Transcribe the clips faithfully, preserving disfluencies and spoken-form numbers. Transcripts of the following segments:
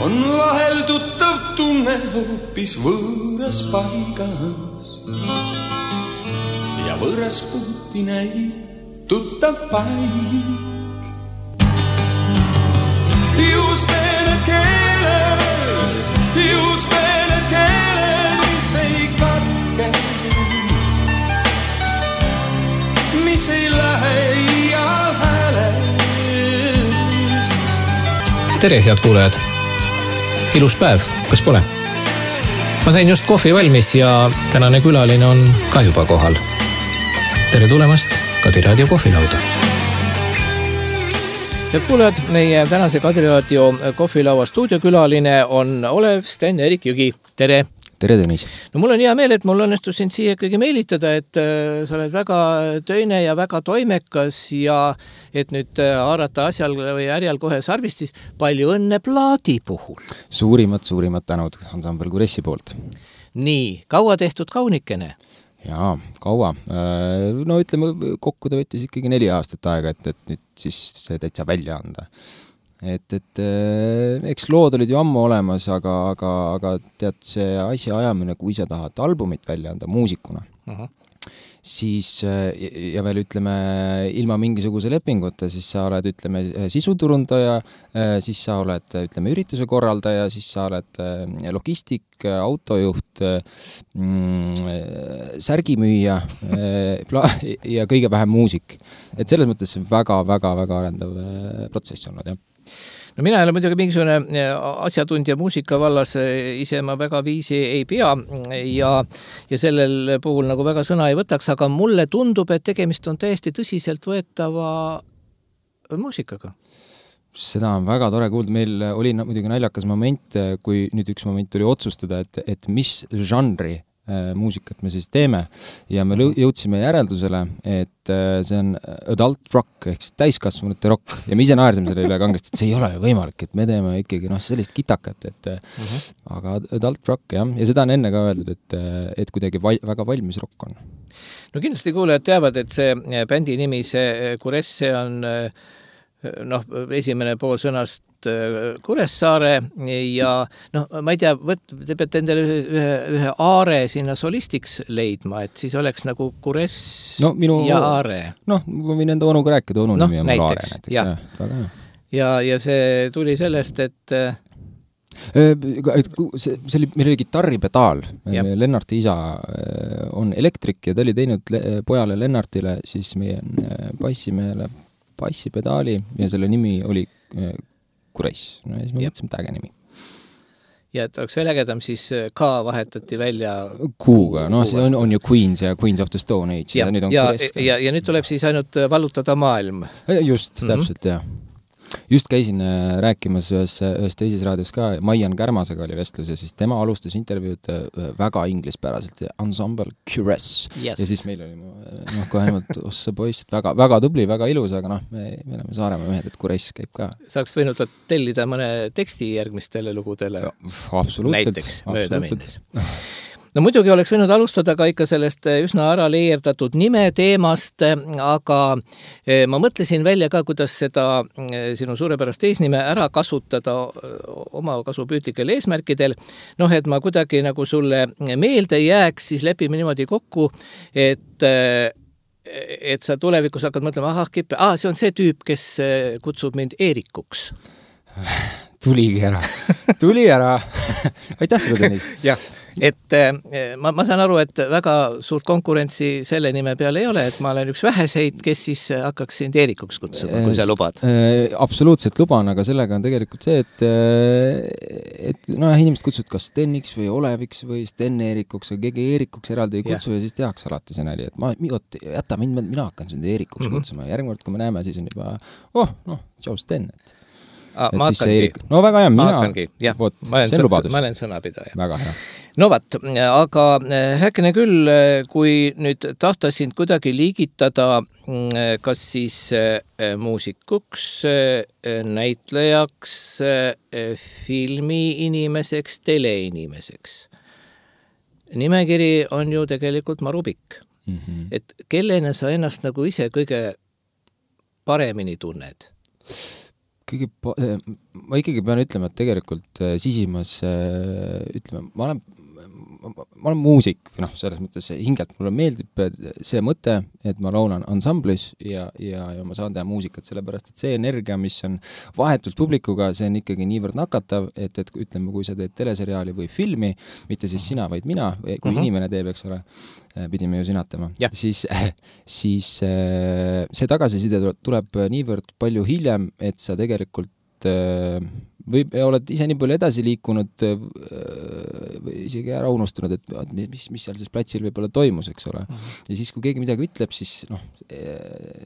on vahel tuttav tunne hoopis võõras paigas ja võõras puuti näib tuttav paik. Just need keeled, just need keeled, mis ei katke, mis ei lähe iial häälest. Tere, head kuulajad! Ilus päev, kas pole? Ma sain just kohvi valmis ja tänane külaline on ka juba kohal. Tere tulemast Kadiraadio kohvilauda. Head kuulajad, meie tänase Kadiraadio kohvilaua stuudiokülaline on Olev Sten-Erik Jügi. Tere! Tere, Tõnis! No mul on hea meel, et mul õnnestus sind siia ikkagi meelitada, et sa oled väga töine ja väga toimekas ja et nüüd haarata asjal või ärjal kohe sarvistis. Palju õnne plaadi puhul! Suurimad, suurimad tänud Ansambel Kuressi poolt. Nii, kaua tehtud kaunikene? Jaa, kaua. No ütleme, kokku ta võttis ikkagi neli aastat aega, et, et nüüd siis see täitsa välja anda. Et, et eks lood olid ju ammu olemas, aga, aga, aga tead see asja ajamine, kui sa tahad albumit välja anda muusikuna, uh-huh. siis ja veel ütleme ilma mingisuguse lepinguta, siis sa oled ütleme sisuturundaja, siis sa oled ütleme ürituse korraldaja, siis sa oled logistik, autojuht, mm, särgimüüja ja kõige vähem muusik. Et selles mõttes see väga, väga, väga arendav protsess olnud, jah. No mina ei ole muidugi mingisugune asjatundja muusika vallas, ise ma väga viisi ei pea ja, ja sellel puhul nagu väga sõna ei võtaks, aga mulle tundub, et tegemist on täiesti tõsiselt võetava muusikaga. Seda on väga tore kuulda. Meil oli muidugi naljakas moment, kui nüüd üks moment tuli otsustada, et, et mis žanri muusikat me siis teeme ja me jõudsime järeldusele, et see on adult rock ehk siis täiskasvanute rock ja me ise naersime selle üle kangesti, et see ei ole ju võimalik, et me teeme ikkagi noh, sellist kitakat, et uh-huh. aga adult rock jah, ja seda on enne ka öeldud, et, et kuidagi val, väga valmis rock on. No kindlasti kuulajad teavad, et see bändi nimi, see Kuress, see on noh, esimene pool sõnast Kuressaare ja noh, ma ei tea, võt, te peate endale ühe, ühe aare sinna solistiks leidma, et siis oleks nagu Kuress no, minu, ja aare. Noh, ma võin enda onuga rääkida, onu no, nimi on mul aare näiteks. Ja. Ja, ja, ja see tuli sellest, et see, see oli, meil oli kitarripedaal. Lennarti isa on elektrik ja ta oli teinud pojale Lennartile siis meie bassimehele bassipedaali ja selle nimi oli Kuress. No ja siis me mõtlesime täge nimi. Ja et oleks veel ägedam, siis ka vahetati välja Kuuga. No see on, on ju Queens ja Queens of the Stone Age. Ja, ja, nüüd on ja, ja, ja nüüd tuleb siis ainult vallutada maailm. Just, täpselt, mm-hmm. jah. Just käisin rääkimas ühes, ühes teises raadios ka, Maian Kärmasega oli vestlus ja siis tema alustas intervjuud väga inglispäraselt, Ensemble Kuress. Yes. Ja siis meil oli noh, kohe niimoodi, ossa poiss, et väga, väga tubli, väga ilus, aga noh, me, me oleme Saaremaa mehed, et Kuress käib ka. Saaks võinud tellida mõne teksti järgmistele lugudele. Ja, absoluutselt. Näiteks mööda mindes. No muidugi oleks võinud alustada ka ikka sellest üsna ära leierdatud nime teemast, aga ma mõtlesin välja ka, kuidas seda sinu suurepärast eesnime ära kasutada oma kasupüütlikel eesmärkidel. Noh, et ma kuidagi nagu sulle meelde jääks, siis lepime niimoodi kokku, et et sa tulevikus hakkad mõtlema, ahah, kippe, ah, see on see tüüp, kes kutsub mind Eerikuks. Tuligi ära. Tuli ära. Aitäh sulle, Tõnis. Jah, et ma, ma saan aru, et väga suurt konkurentsi selle nime peal ei ole, et ma olen üks väheseid, kes siis hakkaks sind Eerikuks kutsuma, kui sa lubad. Absoluutselt luban, aga sellega on tegelikult see, et, et no, inimesed kutsuvad kas Steniks või Oleviks või Sten-Eerikuks, aga keegi Eerikuks eraldi ei kutsu ja, ja siis tehakse alati see näli, et ma, jäta mind, mina hakkan sind Eerikuks mm-hmm. kutsuma ja järgmine kord, kui me näeme, siis on juba, oh, noh, tšau Sten, et Ah, ma hakkangi. No väga hea, mina. Hakkangi, jah, Vot, ma, olen sõna, ma olen sõnapidaja. Väga hea. No vat, aga häkkene küll, kui nüüd tahta sind kuidagi liigitada, kas siis muusikuks, näitlejaks, filmiinimeseks, teleinimeseks. Nimekiri on ju tegelikult marupikk. Mm-hmm. Et kellena sa ennast nagu ise kõige paremini tunned? kõige pa- ma ikkagi pean ütlema, et tegelikult sisimas ütleme, ma olen ma olen muusik või noh, selles mõttes hingelt mulle meeldib see mõte, et ma laulan ansamblis ja, ja, ja ma saan teha muusikat, sellepärast et see energia, mis on vahetult publikuga, see on ikkagi niivõrd nakatav, et, et ütleme, kui sa teed teleseriaali või filmi, mitte siis sina, vaid mina, kui uh-huh. inimene teeb, eks ole, pidime ju sinatama, siis, siis see tagasiside tuleb niivõrd palju hiljem, et sa tegelikult või oled ise nii palju edasi liikunud või isegi ära unustunud, et mis, mis seal siis platsil võib-olla toimus, eks ole. Ja siis, kui keegi midagi ütleb, siis noh,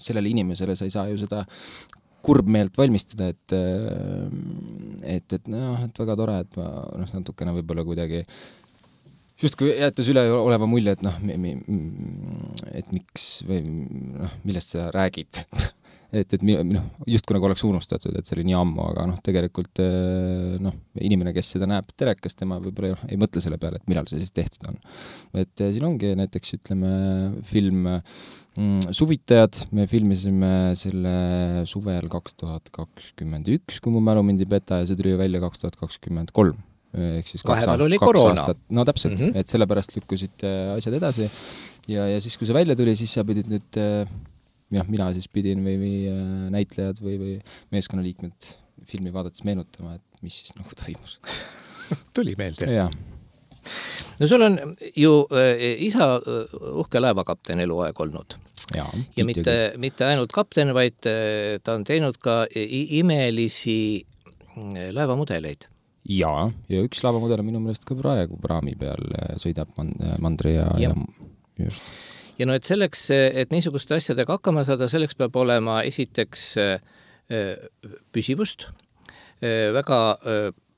sellele inimesele sa ei saa ju seda kurbmeelt valmistada, et et, et noh, et väga tore, et ma noh, natukene võib-olla kuidagi just kui jäetas üle oleva mulje, et noh, et miks või noh, millest sa räägid et, et noh, just kui nagu oleks unustatud, et see oli nii ammu, aga noh, tegelikult noh, inimene, kes seda näeb telekas, tema võib-olla ei mõtle selle peale, et millal see siis tehtud on. Et siin ongi näiteks, ütleme, film mm, Suvitajad, me filmisime selle suvel kaks tuhat kakskümmend üks, kui mu mälu mind ei peta, ja see tuli välja kaks tuhat kakskümmend kolm. Ehk siis kaks, vahepeal oli kaks koroona. Aastat. No täpselt, mm-hmm. et sellepärast lükkusid asjad edasi ja, ja siis, kui see välja tuli, siis sa pidid nüüd jah, mina siis pidin või, või näitlejad või, või meeskonnaliikmed filmi vaadates meenutama, et mis siis nagu toimus. Tuli meelde. Ja. No sul on ju äh, isa uhke laevakapten eluaeg olnud. Ja, ja mitte, mitte ainult kapten, vaid äh, ta on teinud ka imelisi laevamudeleid. Ja, ja üks laevamudel on minu meelest ka praegu praami peal sõidab Mandri ja, ja. ja just. Ja no, et selleks, et niisuguste asjadega hakkama saada, selleks peab olema esiteks püsivust, väga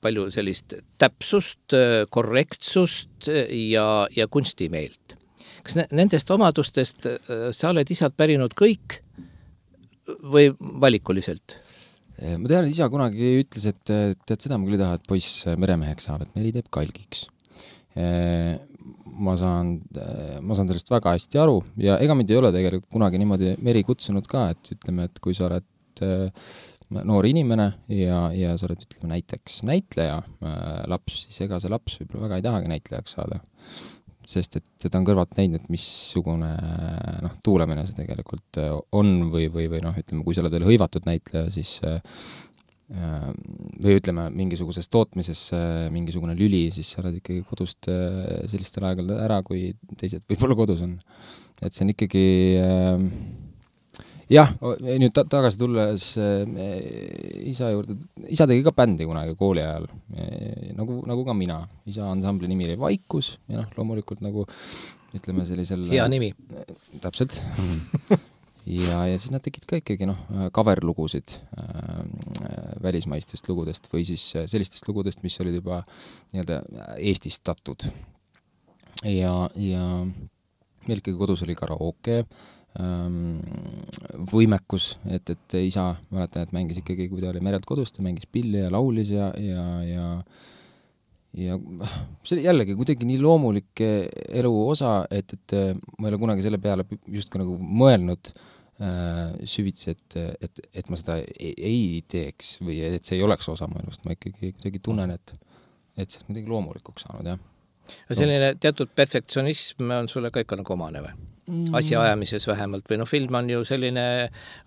palju sellist täpsust, korrektsust ja, ja kunstimeelt. Kas nendest omadustest sa oled isalt pärinud kõik või valikuliselt? Ma tean, et isa kunagi ütles, et tead seda, ma küll ei taha, et poiss meremeheks saab, et meri teeb kalgiks. Ma saan, ma saan sellest väga hästi aru ja ega mind ei ole tegelikult kunagi niimoodi meri kutsunud ka, et ütleme, et kui sa oled noor inimene ja, ja sa oled, ütleme, näiteks näitleja laps, siis ega see laps võib-olla väga ei tahagi näitlejaks saada. Sest et teda on kõrvalt näinud, et missugune noh, tuulemine see tegelikult on või, või, või noh, ütleme, kui sa oled veel hõivatud näitleja, siis või ütleme, mingisuguses tootmises mingisugune lüli, siis sa oled ikkagi kodust sellistel aegadel ära, kui teised võib-olla kodus on. Et see on ikkagi jah, nüüd ta- tagasi tulles isa juurde, isa tegi ka bändi kunagi kooli ajal, nagu, nagu ka mina. Isa ansambli nimi oli Vaikus ja noh, loomulikult nagu ütleme sellisel... Hea nimi. Täpselt. ja, ja siis nad tegid ka ikkagi noh, coverlugusid äh, välismaistest lugudest või siis sellistest lugudest, mis olid juba nii-öelda eestistatud. Ja, ja meil ikkagi kodus oli karaoke, võimekus, et, et isa, mäletan, et mängis ikkagi, kui ta oli merelt kodus, ta mängis pilli ja laulis ja, ja, ja ja see jällegi kuidagi nii loomulik elu osa, et, et ma ei ole kunagi selle peale just ka nagu mõelnud äh, süvitsi, et, et, et ma seda ei, ei teeks või et see ei oleks osa mu elust, ma ikkagi kuidagi tunnen, et, et see on kuidagi loomulikuks saanud, jah. Selline teatud perfektsionism on sulle ka ikka nagu omane või? Asja ajamises vähemalt või noh, film on ju selline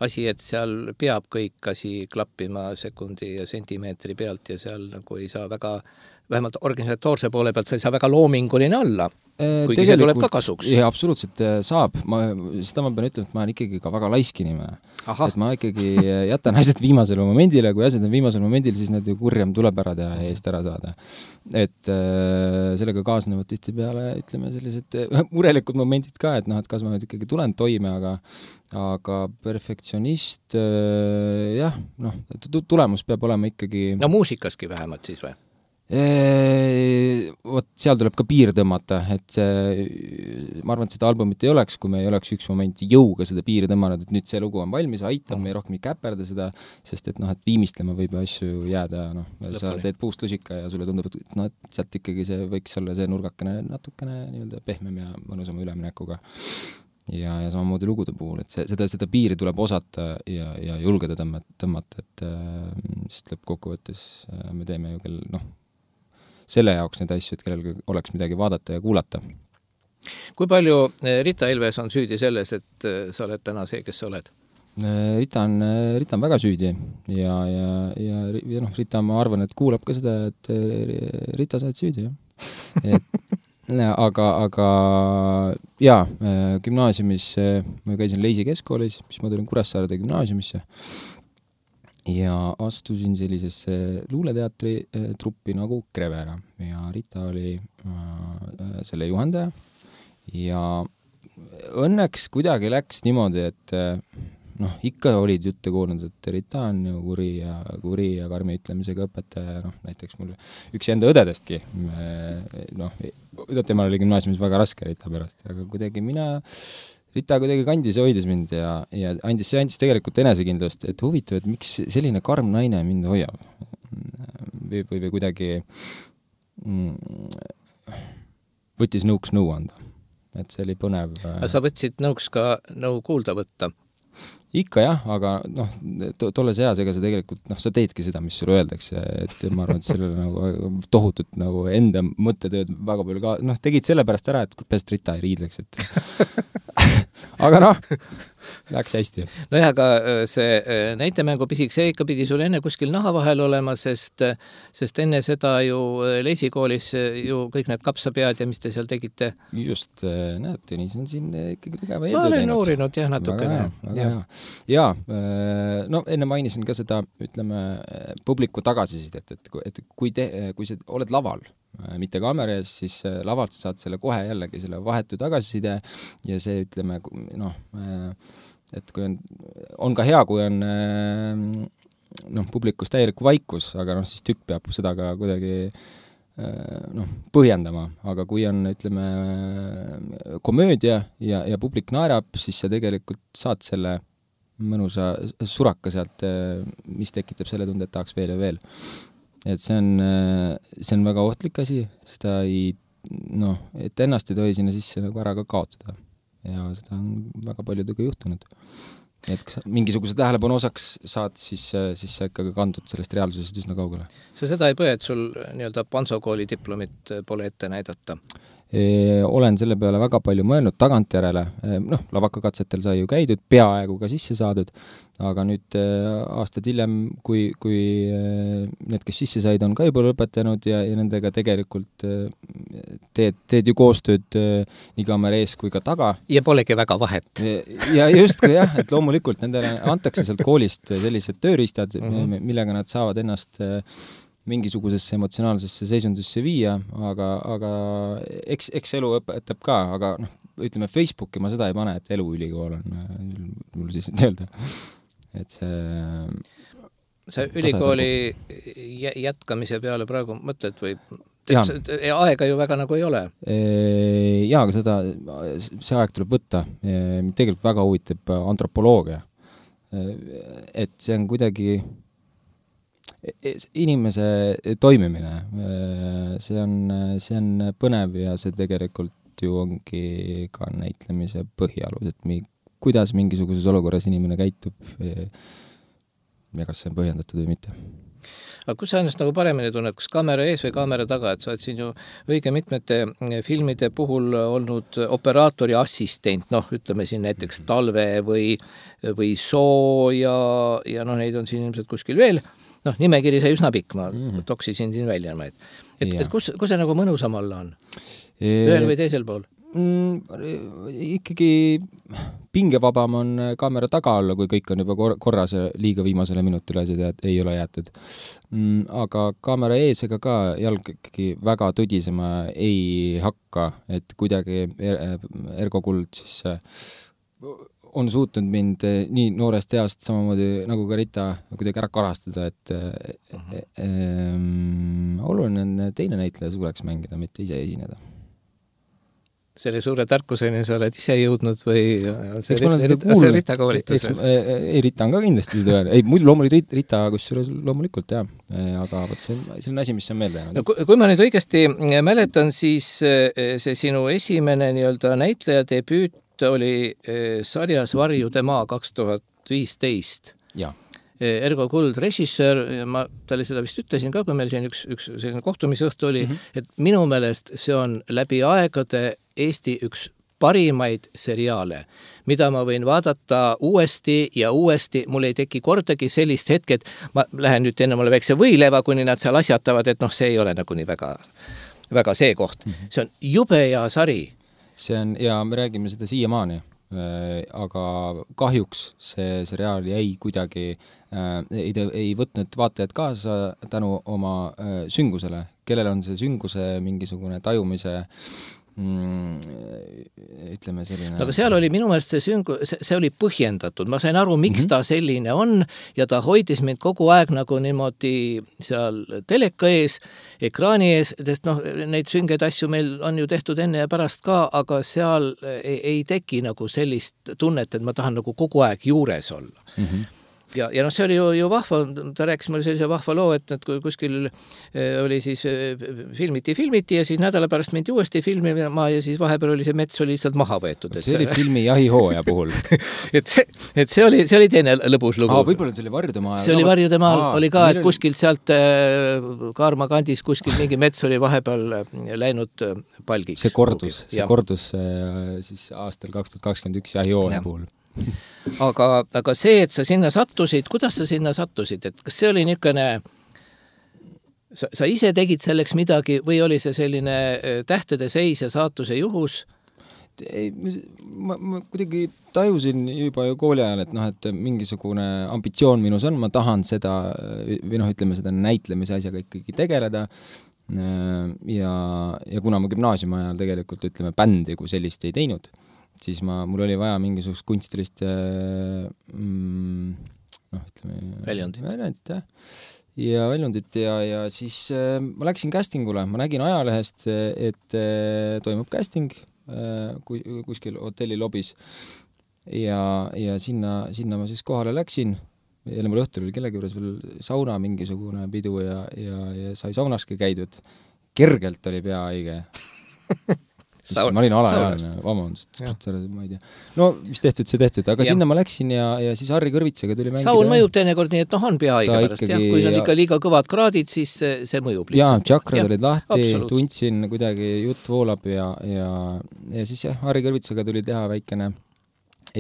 asi, et seal peab kõik asi klappima sekundi ja sentimeetri pealt ja seal nagu ei saa väga, vähemalt organisatoorse poole pealt sa ei saa väga loominguline olla, kuigi see tuleb ka kasuks. Jah, absoluutselt saab. Ma, seda ma pean ütlema, et ma olen ikkagi ka väga laisk inimene. Et ma ikkagi jätan asjad viimasele momendile, kui asjad on viimasel momendil, siis nad ju kurjam tuleb ära teha ja eest ära saada. Et äh, sellega kaasnevad tihti peale, ütleme, sellised murelikud momendid ka, et noh, et kas ma nüüd ikkagi tulen toime, aga, aga perfektsionist, äh, jah, noh, tulemus peab olema ikkagi... No muusikaski vähemalt siis või? Eee, võt, seal tuleb ka piir tõmmata, et see, ma arvan, et seda albumit ei oleks, kui me ei oleks üks moment jõuga seda piiri tõmmanud, et nüüd see lugu on valmis, aitab, me ei rohkem ei käperda seda, sest et noh, et viimistlema võib asju jääda, noh, sa teed puust lusika ja sulle tundub, et noh, et sealt ikkagi see võiks olla see nurgakene natukene nii-öelda pehmem ja mõnusama üleminekuga. ja, ja samamoodi lugude puhul, et see, seda, seda piiri tuleb osata ja, ja julgeda tõmmata, tõmmata, et sest lõppkokkuvõttes me teeme ju kell, noh, selle jaoks neid asju, et kellelgi oleks midagi vaadata ja kuulata. Kui palju Rita Ilves on süüdi selles, et sa oled täna see, kes sa oled? Rita on, Rita on väga süüdi ja, ja, ja, ja noh, Rita, ma arvan, et kuulab ka seda, et Rita, sa oled süüdi, jah. Et aga, aga jaa, gümnaasiumis ma käisin Leisi keskkoolis, siis ma tulin Kuressaarde gümnaasiumisse ja astusin sellisesse luuleteatri truppi nagu Krevera ja Rita oli äh, selle juhendaja ja õnneks kuidagi läks niimoodi, et noh, ikka olid jutte kuulnud, et Rita on ju kuri ja, kuri ja karmi ütlemisega õpetaja, noh, näiteks mul üks enda õdedestki, noh, temal oli gümnaasiumis väga raske Rita pärast, aga kuidagi mina, Rita kuidagi kandis ja hoidis mind ja, ja andis, see andis tegelikult enesekindlust, et huvitav, et miks selline karm naine mind hoiab või, või, või kuidagi mm, võttis nõuks nõu anda, et see oli põnev. Sa võtsid nõuks ka nõu kuulda võtta? Ikka jah, aga noh, to, tolles eas, ega sa tegelikult, noh, sa teedki seda, mis sulle öeldakse, et ma arvan, et sellele nagu tohutut nagu enda mõttetööd väga palju ka, noh, tegid selle pärast ära, et pest Rita ei riidleks, et aga noh, läks hästi. No jah, aga see näitemängu pisik, see ikka pidi sul enne kuskil naha vahel olema, sest, sest enne seda ju Leisi koolis ju kõik need kapsapead ja mis te seal tegite? Just, näed, Tõnis on siin ikkagi tugeva ma olen uurinud jah natukene. Ja, ja no enne mainisin ka seda, ütleme, publiku tagasisidet, et, et kui, te, kui sa oled laval, mitte kaamera ees, siis lavalt saad selle kohe jällegi selle vahetu tagasiside ja see, ütleme, noh, et kui on, on ka hea, kui on noh, publikus täielik vaikus, aga noh, siis tükk peab seda ka kuidagi noh, põhjendama, aga kui on, ütleme, komöödia ja, ja publik naerab, siis sa tegelikult saad selle mõnusa suraka sealt, mis tekitab selle tunde, et tahaks veel ja veel. Et see on, see on väga ohtlik asi, seda ei, noh, et ennast ei tohi sinna sisse nagu ära ka kaotada. Ja seda on väga paljudega juhtunud. Et kui sa mingisuguse tähelepanu osaks saad, siis, siis sa ikka kandud sellest reaalsusest üsna kaugele. Sa seda ei põe, et sul nii-öelda Pansokooli diplomit pole ette näidata? E, olen selle peale väga palju mõelnud tagantjärele, e, noh, lavakakatsetel sai ju käidud, peaaegu ka sisse saadud, aga nüüd e, aastad hiljem, kui, kui e, need, kes sisse said, on ka juba lõpetanud ja, ja nendega tegelikult e, teed, teed ju koostööd e, nii kaamera ees kui ka taga. Ja polegi väga vahet. E, ja just kui jah, et loomulikult nendele antakse sealt koolist sellised tööriistad, mm-hmm. millega nad saavad ennast e, mingisugusesse emotsionaalsesse seisundisse viia, aga, aga eks, eks elu õpetab ka, aga noh, ütleme Facebooki ma seda ei pane, et eluülikool on mul siis öelda. Et see... See ülikooli jätkamise peale praegu mõtled või aega ju väga nagu ei ole? Jaa, aga seda, see aeg tuleb võtta. Tegelikult väga huvitab antropoloogia. Et see on kuidagi inimese toimimine, see on, see on põnev ja see tegelikult ju ongi ka näitlemise põhialus, et mi, kuidas mingisuguses olukorras inimene käitub ja kas see on põhjendatud või mitte. Aga kus sa ennast nagu paremini tunned, kas kaamera ees või kaamera taga, et sa oled siin ju õige mitmete filmide puhul olnud operaatori assistent, noh, ütleme siin näiteks Talve või, või Soo ja, ja noh, neid on siin ilmselt kuskil veel. Noh, nimekiri sai üsna pikk, ma mm-hmm. toksisin siin välja. Et, et, et kus, kus see nagu mõnusam alla on? Ühel või teisel pool? Mm, ikkagi pingevabam on kaamera taga olla, kui kõik on juba korras ja liiga viimasele minutile asjad ei ole jäetud. Mm, aga kaamera ees ega ka jalg ikkagi väga tõdisema ei hakka, et kuidagi Ergo Kuld siis on suutnud mind nii noorest east samamoodi nagu ka Rita kuidagi ära karastada, et uh-huh. e, e, oluline on teine näitleja suureks mängida, mitte ise esineda. Selle suure tarkuseni sa oled ise jõudnud või on see, Rita, see Rita koolitus? Ei, Rita on ka kindlasti seda. Ei, muidu loomulikult Rita, kusjuures loomulikult, jah. Aga võt, see, see on asi, mis on meelde jäänud. No, kui, kui ma nüüd õigesti mäletan, siis see sinu esimene nii-öelda näitleja debüüt ühte oli sarjas Varjude maa kaks tuhat viisteist. Jaa. Ergo Kuld režissöör, ma talle seda vist ütlesin ka, kui meil siin üks, üks selline kohtumisõhtu oli, mm -hmm. et minu meelest see on läbi aegade Eesti üks parimaid seriaale, mida ma võin vaadata uuesti ja uuesti, mul ei teki kordagi sellist hetke, et ma lähen nüüd enne mulle väikse võileva, kuni nad seal asjatavad, et noh, see ei ole nagu nii väga, väga see koht. Mm -hmm. See on jube ja sari. See on, ja me räägime seda siiamaani. Aga kahjuks see seriaal jäi kuidagi, äh, ei, ei võtnud vaatajad kaasa tänu oma äh, süngusele, kellel on see sünguse mingisugune tajumise mm, ütleme selline... Aga seal oli minu meelest see syngu, see, see oli põhjendatud, ma sain aru, miks mm -hmm. ta selline on ja ta hoidis mind kogu aeg nagu niimoodi seal teleka ees, ekraani ees, sest noh, neid süngeid asju meil on ju tehtud enne ja pärast ka, aga seal ei, ei teki nagu sellist tunnet, et ma tahan nagu kogu aeg juures olla. Mm -hmm. Ja, ja noh, see oli ju, ju vahva, ta rääkis mulle sellise vahva loo, et, et kui kuskil oli siis filmiti, filmiti ja siis nädala pärast mindi uuesti filmima ja siis vahepeal oli see mets oli lihtsalt maha võetud. See oli filmi Jahihooja puhul. et see, et see oli, see oli teine lõbus lugu. Aa, võib-olla see oli Varjude maa. See oli Varjude maal, oli ka, et kuskilt sealt Kaarma kandis kuskil mingi mets oli vahepeal läinud palgiks. See kordus, see ja. kordus siis aastal kaks tuhat kakskümmend üks Jahihooja ja. puhul. aga, aga see, et sa sinna sattusid, kuidas sa sinna sattusid, et kas see oli niisugune, sa, sa ise tegid selleks midagi või oli see selline tähtede seis ja saatuse juhus? Ei, ma, ma kuidagi tajusin juba ju kooli ajal, et noh, et mingisugune ambitsioon minus on, ma tahan seda, või noh, ütleme seda näitlemise asjaga ikkagi tegeleda ja, ja kuna ma gümnaasiumi ajal tegelikult, ütleme, bändi kui sellist ei teinud, siis ma, mul oli vaja mingisugust kunstilist mm, noh, ütleme väljundit, väljundit jah. ja väljundit ja, ja siis äh, ma läksin castingule, ma nägin ajalehest, et äh, toimub casting äh, kuskil hotelli lobis ja, ja sinna, sinna ma siis kohale läksin, jälle mul õhtul oli kellegi juures veel sauna mingisugune pidu ja, ja, ja sai saunaski käidud, kergelt oli pea haige. Saun, ma olin alaealine, vabandust, ma ei tea. No, mis tehtud, see tehtud, aga ja. sinna ma läksin ja, ja siis Harri Kõrvitsaga tuli mängida. Saun mõjub teinekord nii, et noh, on pea haige pärast, jah. Kui see on ikka liiga kõvad kraadid, siis see, see mõjub lihtsalt. Jaa, tšakrad olid lahti, absoluut. Tundsin kuidagi jutt voolab ja, ja, ja siis jah, Harri Kõrvitsaga tuli teha väikene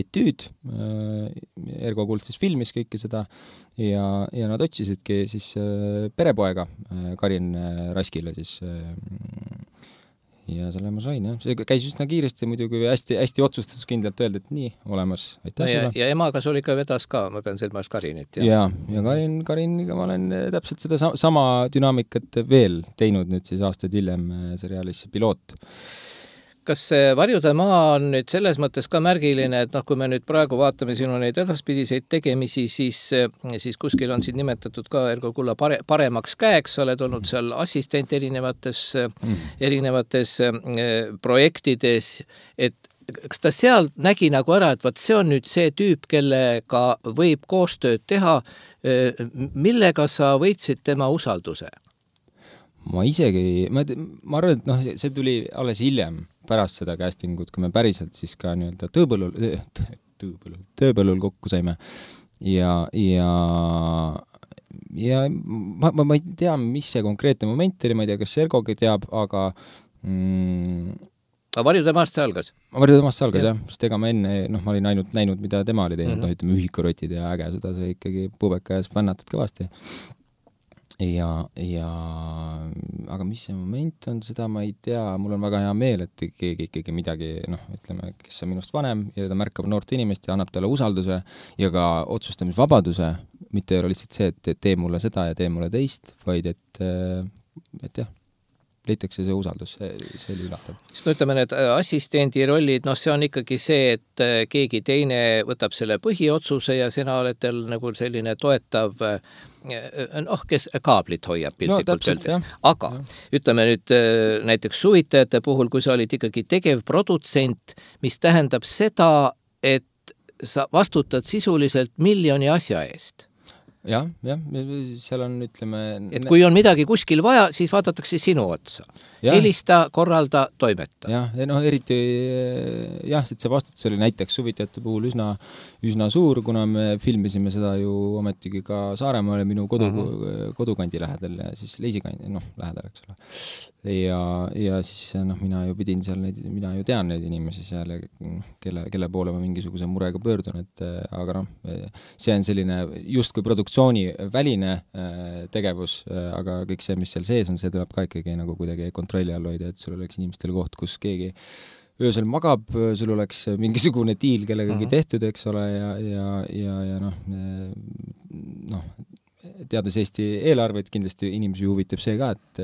etüüd. Ergo Kuld siis filmis kõike seda ja, ja nad otsisidki siis perepoega Karin Raskile siis ja selle ma sain, jah. See käis üsna kiiresti muidugi hästi, hästi otsustuskindlalt öelda, et nii, olemas. Aitäh no ja, sulle. Ja emaga sul ikka vedas ka, ma pean silmas Karinit. Ja, ja, ja Karin, Kariniga ma olen täpselt seda sama dünaamikat veel teinud nüüd siis aastaid hiljem seriaalis Piloot. Kas Varjude maa on nüüd selles mõttes ka märgiline, et noh, kui me nüüd praegu vaatame sinu neid edaspidiseid tegemisi, siis, siis kuskil on siin nimetatud ka Ergo Kulla pare, paremaks käeks, oled olnud seal assistent erinevates, mm. erinevates projektides, et kas ta seal nägi nagu ära, et vaat see on nüüd see tüüp, kellega võib koostööd teha, millega sa võitsid tema usalduse? Ma isegi, ma, ma arvan, et noh, see tuli alles hiljem pärast seda castingut, kui me päriselt siis ka nii-öelda tööpõllul, tööpõllul, tööpõllul kokku saime ja, ja, ja ma, ma, ma ei tea, mis see konkreetne moment oli, ma ei tea, kas Sergogi teab, aga mm, aga Varjude maast see algas? Varjude maast see algas, jah, sest ega ma enne, noh, ma olin ainult näinud, mida tema oli teinud, mm -hmm. noh, ütleme, ühikurotid ja äge, seda see ikkagi pubeka ees fännatad kõvasti. Ja, ja aga mis see moment on, seda ma ei tea, mul on väga hea meel, et keegi ikkagi midagi, noh, ütleme, kes on minust vanem ja ta märkab noort inimest ja annab talle usalduse ja ka otsustamisvabaduse, mitte ei ole lihtsalt see, et tee mulle seda ja tee mulle teist, vaid et, et jah, leitakse see usaldus, see, see oli üllatav. Sest no ütleme, need assistendi rollid, noh, see on ikkagi see, et keegi teine võtab selle põhiotsuse ja sina oled teil nagu selline toetav, noh, kes kaablit hoiab piltlikult no, öeldes. Aga ja. Ütleme nüüd näiteks Suvitajate puhul, kui sa olid ikkagi tegevprodutsent, mis tähendab seda, et sa vastutad sisuliselt miljoni asja eest. jah, jah, seal on, ütleme... Et kui on midagi kuskil vaja, siis vaadatakse sinu otsa. Ja. Helista, korralda, toimeta. Jah, ja noh, eriti jah, et see vastutus oli näiteks suviteate puhul üsna, üsna suur, kuna me filmisime seda ju ometigi ka Saaremaale minu kodu, uh-huh. kodukandi lähedal ja siis Leisikandi, noh, lähedal, eks ole. Ja, ja siis noh, mina ju pidin seal neid, mina ju tean neid inimesi seal, kelle, kelle poole ma mingisuguse murega pöördun, et aga noh, see on selline just kui produktsiooni väline tegevus, aga kõik see, mis seal sees on, see tuleb ka ikkagi nagu kuidagi kontrolli all hoida, et sul oleks inimestel koht, kus keegi öösel magab, sul oleks mingisugune diil kellegagi uh-huh. tehtud, eks ole, ja, ja, ja, ja noh, noh, teades Eesti eelarveid, kindlasti inimesi huvitab see ka, et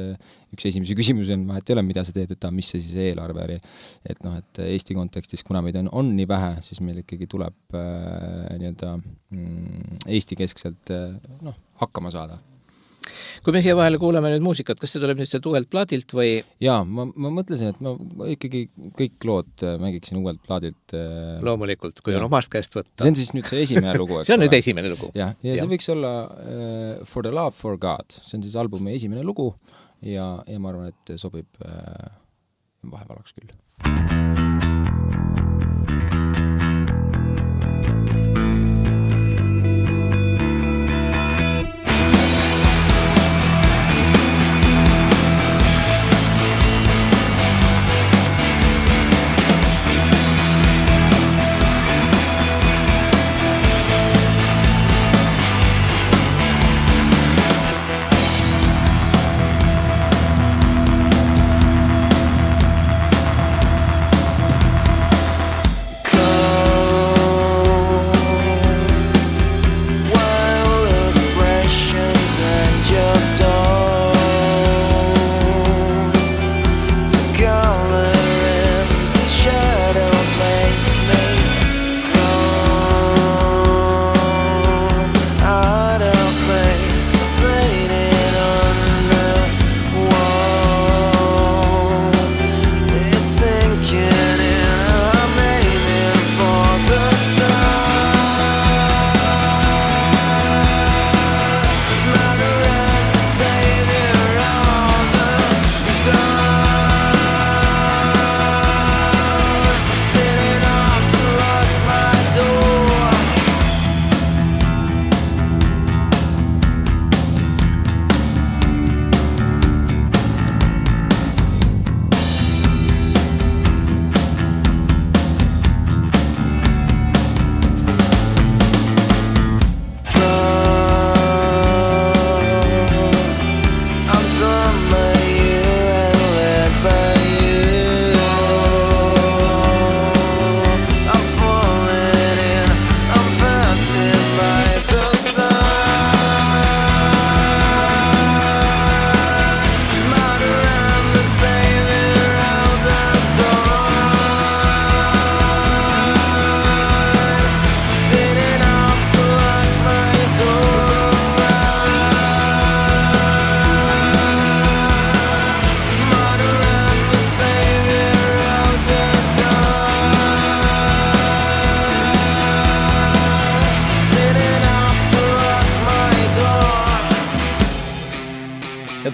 üks esimesi küsimusi on vahet ei ole, mida sa teed, et mis see siis eelarve oli. Et noh, et Eesti kontekstis, kuna meid on, on nii vähe, siis meil ikkagi tuleb äh, nii-öelda mm, Eesti keskselt äh, noh, hakkama saada. Kui me siia vahele kuuleme nüüd muusikat, kas see tuleb nüüd see uuelt plaadilt või? Jaa, ma, ma mõtlesin, et ma ikkagi kõik lood mängiksin uuelt plaadilt. Loomulikult, kui ja. on omast käest võtta. See on siis nüüd see esimene lugu. see on nüüd esimene lugu. Ja, ja, ja see võiks olla uh, For the Love for God. See on siis albumi esimene lugu ja, ja ma arvan, et sobib uh, vahevalaks küll.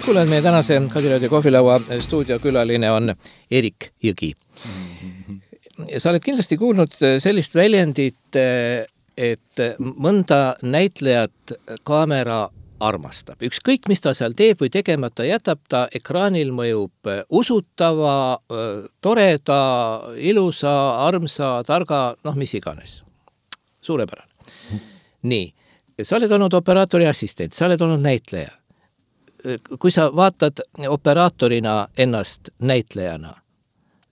Kuulen, meie tänase Kadrioodi kohvilaua stuudiokülaline on Erik Jõgi. Sa oled kindlasti kuulnud sellist väljendit, et mõnda näitlejat kaamera armastab. Ükskõik, mis ta seal teeb või tegemata jätab, ta ekraanil mõjub usutava, toreda, ilusa, armsa, targa, noh, mis iganes. Suurepärane. Nii, sa oled olnud operaatori assistent, sa oled olnud näitleja. Kui sa vaatad operaatorina ennast näitlejana,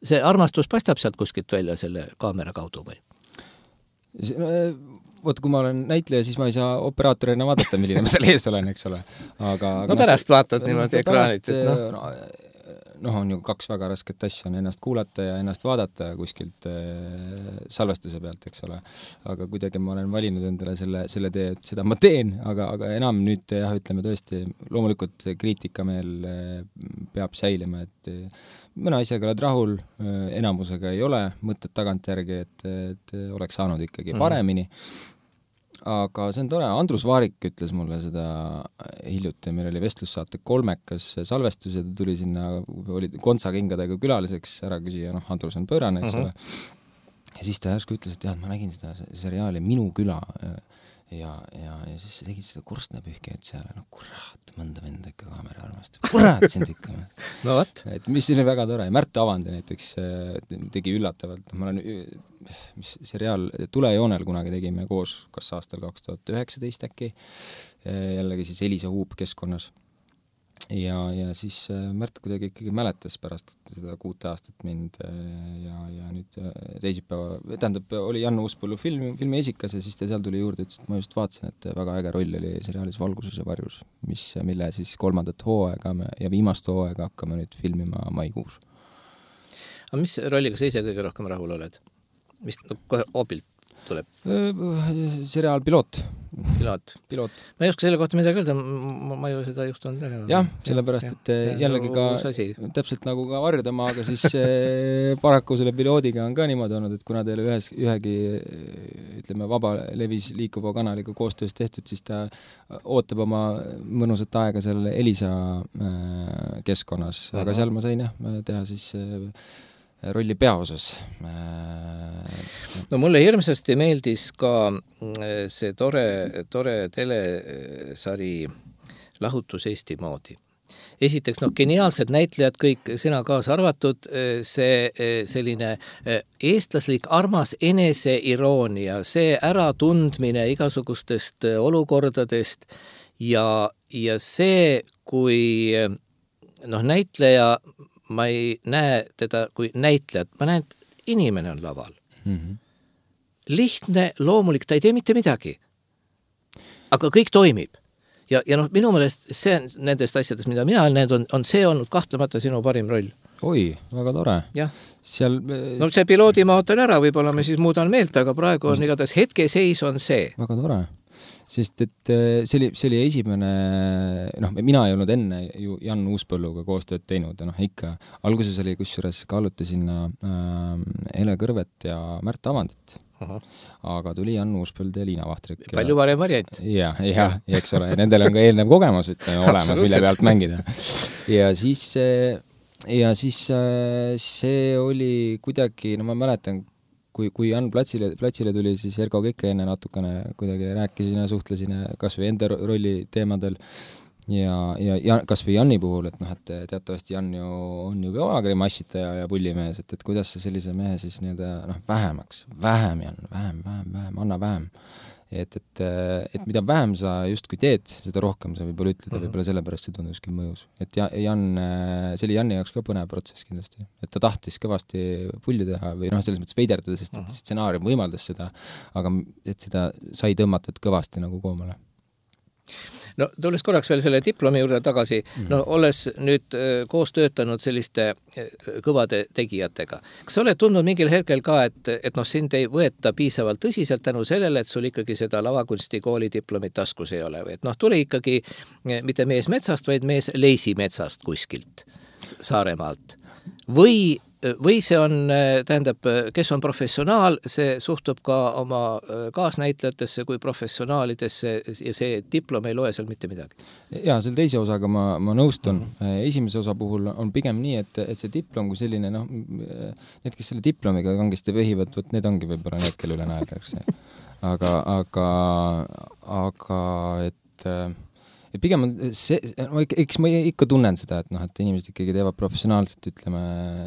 see armastus paistab sealt kuskilt välja selle kaamera kaudu või? No, võt, kui ma olen näitleja, siis ma ei saa operaatorina vaadata, milline ma seal ees olen, eks ole. Aga, no pärast no, vaatad niimoodi no, ekraanit. Et no. No, noh, on ju kaks väga rasket asja, on ennast kuulata ja ennast vaadata kuskilt äh, salvestuse pealt, eks ole. Aga kuidagi ma olen valinud endale selle, selle tee, et seda ma teen, aga, aga enam nüüd jah, ütleme tõesti, loomulikult kriitikameel äh, peab säilima, et äh, mõne asjaga oled rahul, äh, enamusega ei ole mõtted tagant järgi, et, et oleks saanud ikkagi paremini. aga see on tore, Andrus Vaarik ütles mulle seda hiljuti, meil oli vestlussaate kolmekas salvestus ja ta tuli sinna, oli kontsakingadega külaliseks ära küsija, noh, Andrus on pöörane, eks ole. Uh-huh. Ja siis ta järsku ütles, et jah, ma nägin seda seriaali Minu küla ja, ja, ja siis tegid seda korstnapühkijat seal, no kurat, mõnda venda ikka kaamera armastab, kurat sind ikka. No võt. Et mis oli väga tore, Märt Avandi näiteks tegi üllatavalt, ma olen mis seriaal Tulejoonel kunagi tegime koos, kas aastal kaks tuhat üheksateist äkki, jällegi siis Elisa Huub keskkonnas. Ja, ja siis Märt kuidagi ikkagi mäletas pärast seda kuute aastat mind ja, ja nüüd teisipäeva, tähendab, oli Jan Uuspõllu film, filmi esikas ja siis ta seal tuli juurde, ütles, et ma just vaatasin, et väga äge roll oli seriaalis Valguses ja varjus, mis, mille siis kolmandat hooaega ja viimast hooaega hakkame nüüd filmima maikuus. Aga mis rolliga sa ise kõige rohkem rahul oled? Mis no, kohe obilt tuleb? Seriaal Piloot. Piloot. Piloot. Ma ei oska selle kohta midagi öelda, ma, ma ju seda juhtunud tegema. Jah, sellepärast, et ja, jällegi ka täpselt nagu ka Varjudama, aga siis paraku selle piloodiga on ka niimoodi olnud, et kuna teile ühes, ühegi ütleme, vaba levis liikuva kanaliga koostöös tehtud, siis ta ootab oma mõnusat aega seal Elisa keskkonnas, aga uh-huh. seal ma sain jah, teha siis rolli peaosas. No mulle hirmsasti meeldis ka see tore, tore telesari Lahutus Eesti moodi. Esiteks, noh, geniaalsed näitlejad, kõik sina kaasa arvatud, see selline eestlaslik armas eneseiroonia, see äratundmine igasugustest olukordadest ja, ja see, kui noh, näitleja ma ei näe teda kui näitlejat, ma näen, et inimene on laval. Mm-hmm. Lihtne, loomulik, ta ei tee mitte midagi. Aga kõik toimib. Ja, ja noh, minu meelest see nendest asjadest, mida mina olen näinud, on, on see olnud kahtlemata sinu parim roll. Oi, väga tore. Jah. Seal... No see piloodi ma ootan ära, võib-olla me siis muudan meelt, aga praegu on igatahes hetkeseis on see. Väga tore. Sest et see oli, see oli esimene, noh, mina ei olnud enne ju Jan Uuspõlluga koostööd teinud ja noh, ikka alguses oli kusjuures kaaluti sinna äh, Hele Kõrvet ja Märt Avandit. Aha. Aga tuli Jan Uuspõld ja Liina Vahtrik. Palju varem variant. Ja, ja, ja eks ole, nendel on ka eelnev kogemus ütleme, olemas, mille pealt mängida. Ja siis, ja siis see oli kuidagi, no ma mäletan, kui, kui Jan platsile, platsile tuli, siis Ergo Kekke enne natukene kuidagi rääkisin ja suhtlesin kas või enda rolli teemadel ja, ja, ja kas või Janni puhul, et noh, et teatavasti Jan ju on ju ka massitaja ja pullimees, et, et kuidas sa sellise mehe siis nii-öelda noh, vähemaks, vähem Jan, vähem, vähem, vähem, anna vähem. Et, et, et mida vähem sa justkui teed, seda rohkem sa võib-olla ütleda, mm-hmm. võib-olla sellepärast see tunduski mõjus. Et Jan, see oli Janni jaoks ka põnev protsess kindlasti. Et ta tahtis kõvasti pulli teha või noh, selles mõttes veiderdada, sest mm-hmm. stsenaarium võimaldas seda, aga et seda sai tõmmatud kõvasti nagu koomale. No tulles korraks veel selle diplomi juurde tagasi, mm-hmm. no olles nüüd koos töötanud selliste kõvade tegijatega. Kas sa oled tundnud mingil hetkel ka, et, et noh, sind ei võeta piisavalt tõsiselt tänu sellele, et sul ikkagi seda lavakunstikooli diplomit taskus ei ole? Et noh, tuli ikkagi mitte mees metsast, vaid mees Leisi metsast kuskilt Saaremaalt. Või või see on, tähendab, kes on professionaal, see suhtub ka oma kaasnäitlejatesse kui professionaalidesse ja see diplom ei loe seal mitte midagi. Ja, selle teise osaga ma, ma nõustun. Mm-hmm. Esimese osa puhul on pigem nii, et, et see diplom kui selline, noh, need, kes selle diplomiga kangesti vehivad, võt, need ongi võib-olla need, kelle üle naeldakse. Aga, aga, aga, et... Ja pigem on see, eks ma ikka tunnen seda, et, noh, et inimesed ikkagi teevad professionaalselt, ütleme,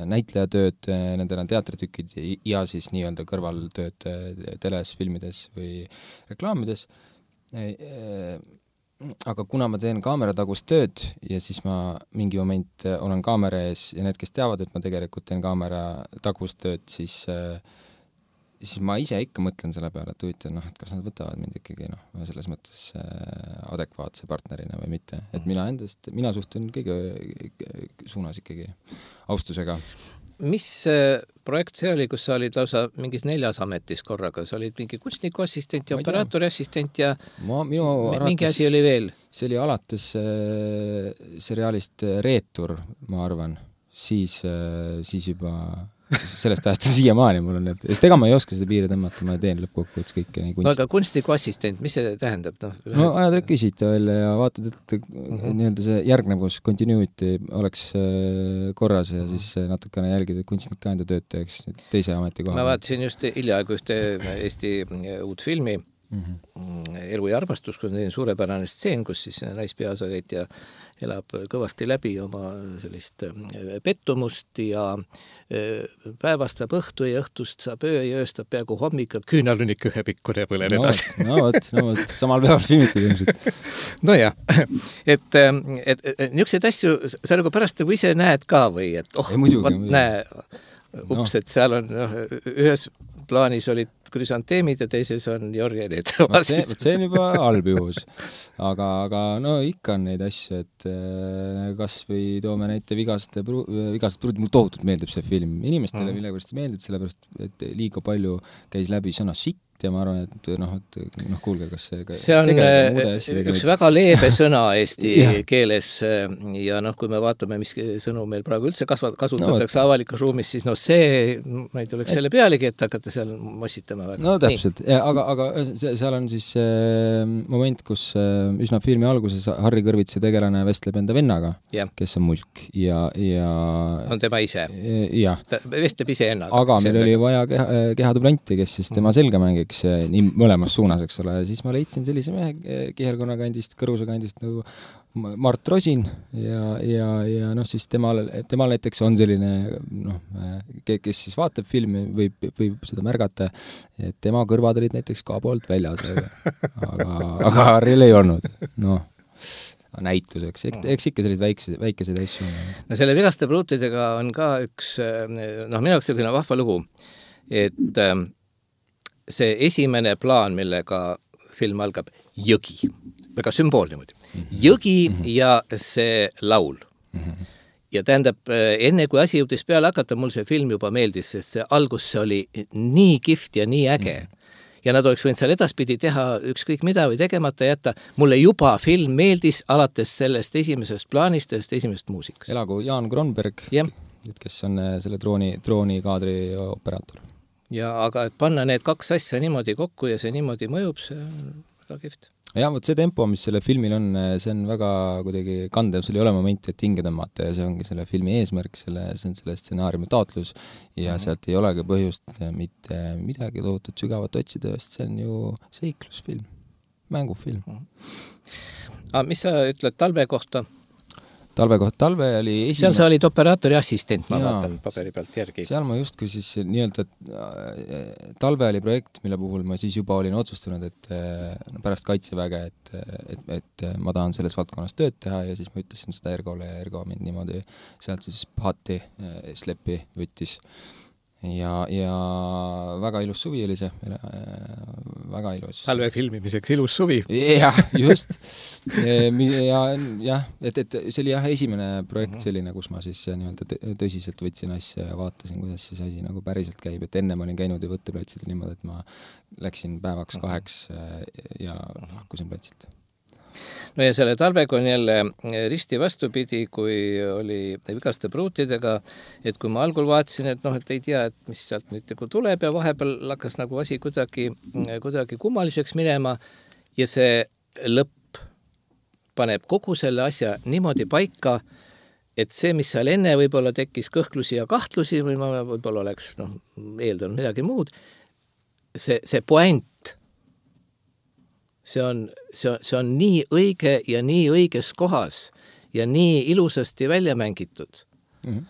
näitlejatööd, nendel on teatritükid ja siis nii-öelda kõrvaltööd teles, filmides või reklaamides. Aga kuna ma teen kaameratagust tööd ja siis ma mingi moment olen kaamera ees ja need, kes teavad, et ma tegelikult teen kaameratagust tööd, siis siis ma ise ikka mõtlen selle peale, et huvitav, noh, et kas nad võtavad mind ikkagi, noh, selles mõttes adekvaatse partnerina või mitte. Et mina endast, mina suhtun kõige suunas ikkagi austusega. Mis projekt see oli, kus sa olid lausa mingis neljas ametis korraga? Sa olid mingi kunstniku assistent ja operaatori assistent ja ma, minu mingi asi oli veel? See oli alates seriaalist Reetur, ma arvan. Siis, siis juba sellest ajast siiamaani mul on, et sest ega ma ei oska seda piiri tõmmata, ma teen lõppkokkuvõttes kõike nii kunst. No aga kunstniku assistent, mis see tähendab? No, no ajad rekvisiite välja ja vaatad, et mm-hmm. nii-öelda see järgnevus, continuity oleks korras ja siis natukene jälgida kunstnik ka enda tööd teeks teise ameti koha. Ma vaatasin just hiljaaegu ühte Eesti uut filmi mm-hmm. Elu ja armastus, kus on suurepärane stseen, kus siis naispeasakäitja elab kõvasti läbi oma sellist pettumust ja päevast saab õhtu ja õhtust saab öö ja ööstab peaaegu hommika, küünal on ikka ühe pikkune põlen no, edasi. No võt, no võt, samal päeval filmitud ilmselt. No jah, et, et, et niisuguseid asju sa nagu pärast nagu ise näed ka või, et oh, muidugi, võt, näe, ups, et seal on no, ühes plaanis olid krüsanteemid ja teises on jorjenid. See, see on juba halb juhus. Aga, aga no ikka on neid asju, et kas või toome näite Vigaste pruud, mul tohutult meeldib see film. Inimestele mm. millegipärast meeldib, sellepärast, et liiga palju käis läbi sõna sitt ja ma arvan, et noh, et noh, kuulge, kas see... See on üks väga leebe sõna eesti keeles ja noh, kui me vaatame, mis sõnu meil praegu üldse kasutatakse no, avalikus ruumis, siis no see, ma ei tuleks selle pealegi, et hakata seal mossitama väga. No täpselt, ja, aga, aga seal on siis äh, moment, kus äh, üsna filmi alguses Harri Kõrvitsi tegelane vestleb enda vennaga, ja. Kes on musk ja, ja... On tema ise? Jah. Ta vestleb ise ennaga. Aga meil oli vaja keha, kehadublanti, kes siis tema selga mängiks nii mõlemas suunas, eks ole, ja siis ma leidsin sellise mehe Kihelkonna kandist, Kõruse kandist nagu Mart Rosin ja, ja, ja noh, siis temal, temal näiteks on selline noh, kes siis vaatab filmi, võib, võib seda märgata, et tema kõrvad olid näiteks ka poolt väljas, aga, aga Harril ei olnud, noh näituseks, eks ikka sellised väikesed, väikesed asju. No selle Vigaste pruutidega on ka üks, noh, minu jaoks selline vahva lugu, et see esimene plaan, millega film algab, jõgi, väga sümboolne muidu, jõgi ja see laul. Ja tähendab, enne kui asi jõudis peale hakata, mul see film juba meeldis, sest see algus see oli nii kihvt ja nii äge. Ja nad oleks võinud seal edaspidi teha ükskõik mida või tegemata jätta. Mulle juba film meeldis alates sellest esimesest plaanist, sellest esimesest muusikast. Elagu Jaan Kronberg, kes on selle drooni, drooni kaadri operaator. Ja aga et panna need kaks asja niimoodi kokku ja see niimoodi mõjub, see on väga kihvt. Ja võt see tempo, mis selle filmil on, see on väga kuidagi kandev, sul ei ole momenti, et hinge tõmmata ja see ongi selle filmi eesmärk, selle, see on selle stsenaariumi taotlus ja mm-hmm. sealt ei olegi põhjust mitte midagi tohutut sügavat otsida, sest see on ju seiklusfilm, mängufilm. Mm-hmm. Aga mis sa ütled talve kohta? Talve kohta, talve oli esimene... Seal sa olid operaatori assistent, ma ja, vaatan paberi pealt järgi. Seal ma justkui siis nii-öelda talve oli projekt, mille puhul ma siis juba olin otsustanud, et pärast kaitseväge, et, et, et ma tahan selles valdkonnas tööd teha ja siis ma ütlesin seda Ergole ja Ergo mind niimoodi sealt siis pahati slepi võttis. Ja, ja väga ilus suvi oli see, väga ilus. Talve filmimiseks ilus suvi. Jah, just. Ja, jah, et, et see oli jah esimene projekt selline, kus ma siis nii-öelda tõsiselt võtsin asja ja vaatasin, kuidas siis asi nagu päriselt käib, et enne ma olin käinud ja võtteplatsil niimoodi, et ma läksin päevaks kaheks ja lahkusin platsilt. No ja selle talvega on jälle risti vastupidi, kui oli Vigaste pruutidega, et kui ma algul vaatasin, et noh, et ei tea, et mis sealt nüüd nagu tuleb ja vahepeal hakkas nagu asi kuidagi, kuidagi kummaliseks minema ja see lõpp paneb kogu selle asja niimoodi paika, et see, mis seal enne võib-olla tekkis kõhklusi ja kahtlusi või ma võib-olla oleks noh, eeldanud midagi muud, see, see point See on, see, on, see on nii õige ja nii õiges kohas ja nii ilusasti välja mängitud. Mm-hmm.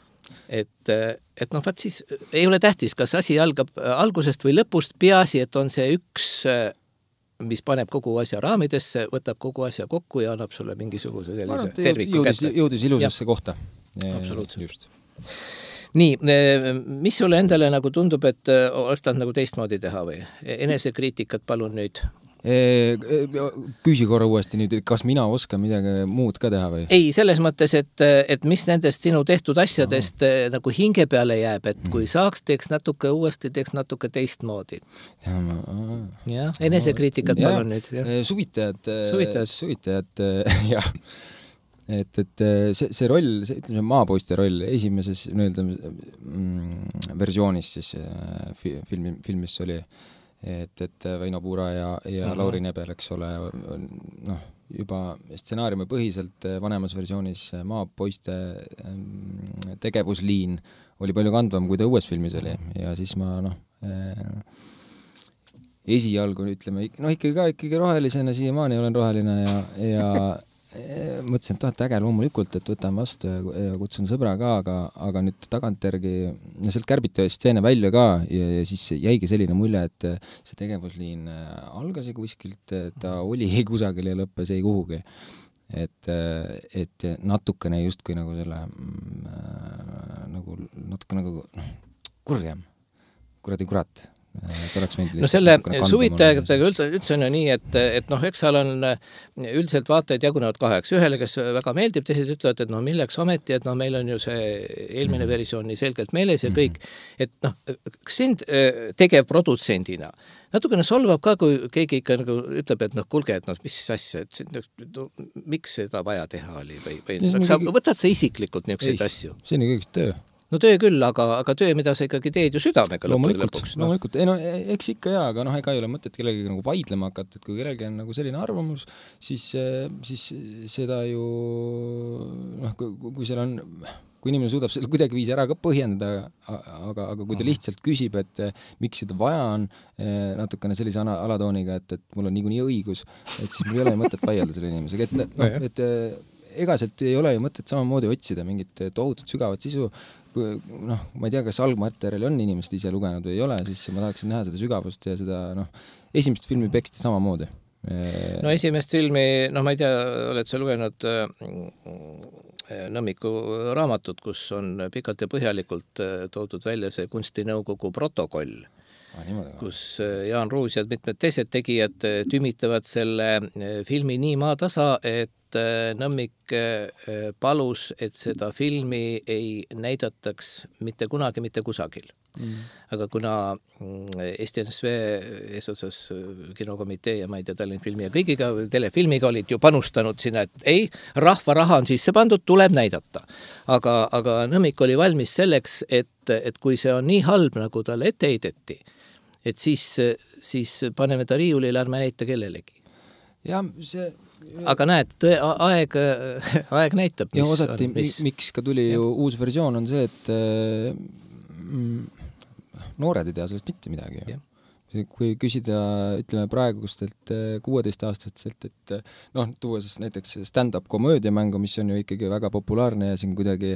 Et, et noh, vaat siis ei ole tähtis, kas asi algab algusest või lõpust, peaasi, et on see üks, mis paneb kogu asja raamidesse, võtab kogu asja kokku ja annab sulle mingisuguse sellise terviku jõudis, kätte. Jõudis ilusasse ja. Kohta. Absoluutselt. Just. Nii, mis sulle endale nagu tundub, et oleks taht nagu teistmoodi teha või? Enesekriitikat palun nüüd. Küsi korra uuesti nüüd, kas mina oskan midagi muud ka teha või? Ei, selles mõttes, et, et mis nendest sinu tehtud asjadest Aha. nagu hinge peale jääb, et kui saaks, teeks natuke uuesti, teeks natuke teistmoodi. Ja, enesekriitikat palun nüüd. Ja. Suvitajad, suvitajad, suvitajad, jah. et, et see, see roll, see, ütleme, maapoiste roll esimeses nii-öelda mm, versioonis siis filmi, filmis oli, et, et Väino Puura ja, ja mm-hmm. Lauri Nebel, eks ole, noh, juba stsenaariumi põhiselt vanemas versioonis maapoiste tegevusliin oli palju kandvam, kui ta uues filmis oli ja siis ma noh eh, esialgu ütleme, noh ikkagi ka ikkagi rohelisena siiamaani olen roheline ja, ja eh, mõtlesin, et tahet äge loomulikult, et võtan vastu ja, ja kutsun sõbra ka, aga, aga nüüd tagantjärgi ja sealt kärbiti stseene välja ka ja, ja siis jäigi selline mulje, et see tegevusliin algas kuskilt, ta oli ei kusagil ja lõppes ei kuhugi. Et, et natukene justkui nagu selle mm, nagu natuke nagu noh, kurjam, kuradi kurat. No selle suvitajaga üldse, üldse on ju nii, et, et noh, eks seal on üldiselt vaatajad jagunevad kaheks. Ühele, kes väga meeldib, teised ütlevad, et noh, milleks ometi, et noh, meil on ju see eelmine versioon nii selgelt meeles ja kõik, et noh, kas sind tegev produtsendina natukene solvab ka, kui keegi ikka nagu ütleb, et noh, kulge, et noh, mis asja, et no, miks seda vaja teha oli või, või sa kõige... võtad sa isiklikult niisuguseid asju? See on kõigest töö. No töö küll, aga, aga töö, mida sa ikkagi teed ju südamega lõpuks. No. Loomulikult, ei no eks ikka jaa, aga noh, ega ei ole mõtet kellegi nagu vaidlema hakata, et kui kellegi on nagu selline arvamus, siis, siis seda ju noh, kui, kui seal on kui inimene suudab seda kuidagi viisi ära ka põhjendada, aga, aga kui ta lihtsalt küsib, et miks seda vaja on natukene sellise alatooniga, et, et mul on niikuinii õigus, et siis mul ei ole mõtet vaielda selle inimesega, et, no, et ega sealt ei ole ju mõtet samamoodi otsida mingit tohutut sügavat sisu, kui, noh, ma ei tea, kas algmaterjali on inimesed ise lugenud või ei ole, siis ma tahaksin näha seda sügavust ja seda, noh, esimest filmi peksti samamoodi. No esimest filmi, noh, ma ei tea, oled sa lugenud Nõmmiku raamatut, kus on pikalt ja põhjalikult toodud välja see kunstinõukogu protokoll, ah, kus Jaan Ruus ja mitmed teised tegijad tümitavad selle filmi nii maatasa, et Nõmmik palus, et seda filmi ei näidataks mitte kunagi mitte kusagil. Mm. Aga kuna Eesti N S V eesotsas kinokomitee ja ma ei tea, Tallinn filmi ja kõigiga telefilmiga olid ju panustanud sinna, et ei, rahva raha on sisse pandud, tuleb näidata. Aga, aga Nõmmik oli valmis selleks, et, et kui see on nii halb, nagu talle ette heideti, et siis, siis paneme ta riiulile, ärme näita kellelegi. Ja see... Aga näed, tõe, aeg, aeg näitab, mis ja osati, on. Mis... Miks ka tuli ju uus versioon on see, et mm, noored ei tea sellest mitte midagi. Ja. Kui küsida, ütleme praegustelt kuueteistaastastelt, et noh, tuua siis näiteks stand-up komöödiamängu, mis on ju ikkagi väga populaarne ja siin kuidagi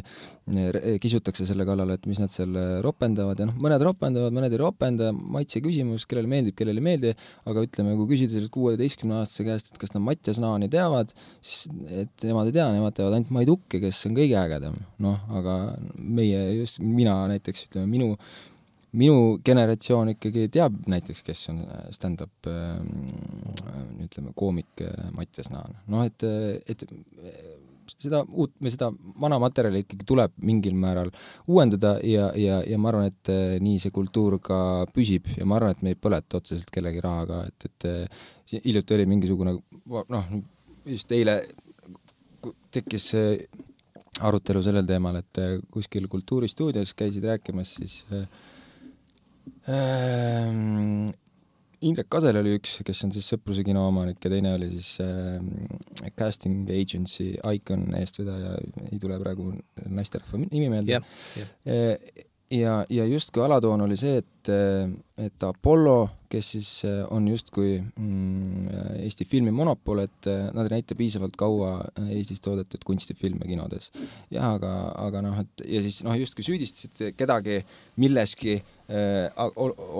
kisutakse selle kallal, et mis nad seal ropendavad ja noh, mõned ropendavad, mõned ei ropenda, maitse küsimus, kellele meeldib, kellele ei meeldi, aga ütleme, kui küsida sellest kuueteistkümne aastase käest, et kas nad Mattias Naani teavad, siis et nemad ei tea, nemad teavad ainult Mait Ukke, kes on kõige ägedam. Noh, aga meie, just mina näiteks, ütleme, minu Minu generatsioon ikkagi teab näiteks, kes on stand-up ütleme, koomik Mattias Naan. Noh, et, et seda, uut, me seda vana materjali ikkagi tuleb mingil määral uuendada ja, ja, ja ma arvan, et nii see kultuur ka püsib ja ma arvan, et me ei põleta otseselt kellegi rahaga, et, et hiljuti oli mingisugune, noh, just eile tekkis arutelu sellel teemal, et kuskil kultuuristuudios käisid rääkimas siis Ähm, Indrek Kasel oli üks, kes on siis Sõpruse kino omanik ja teine oli siis äh, casting agency Icon eestvedaja, ei tule praegu naisterahva nimi meelde. Yeah, yeah. Ja, ja justkui alatoon oli see, et, et Apollo, kes siis on justkui mm, Eesti filmi monopol, et nad ei näita piisavalt kaua Eestis toodetud kunstifilme kinodes. Ja, aga, aga noh, et, ja siis noh, justkui süüdistasid kedagi milleski äh,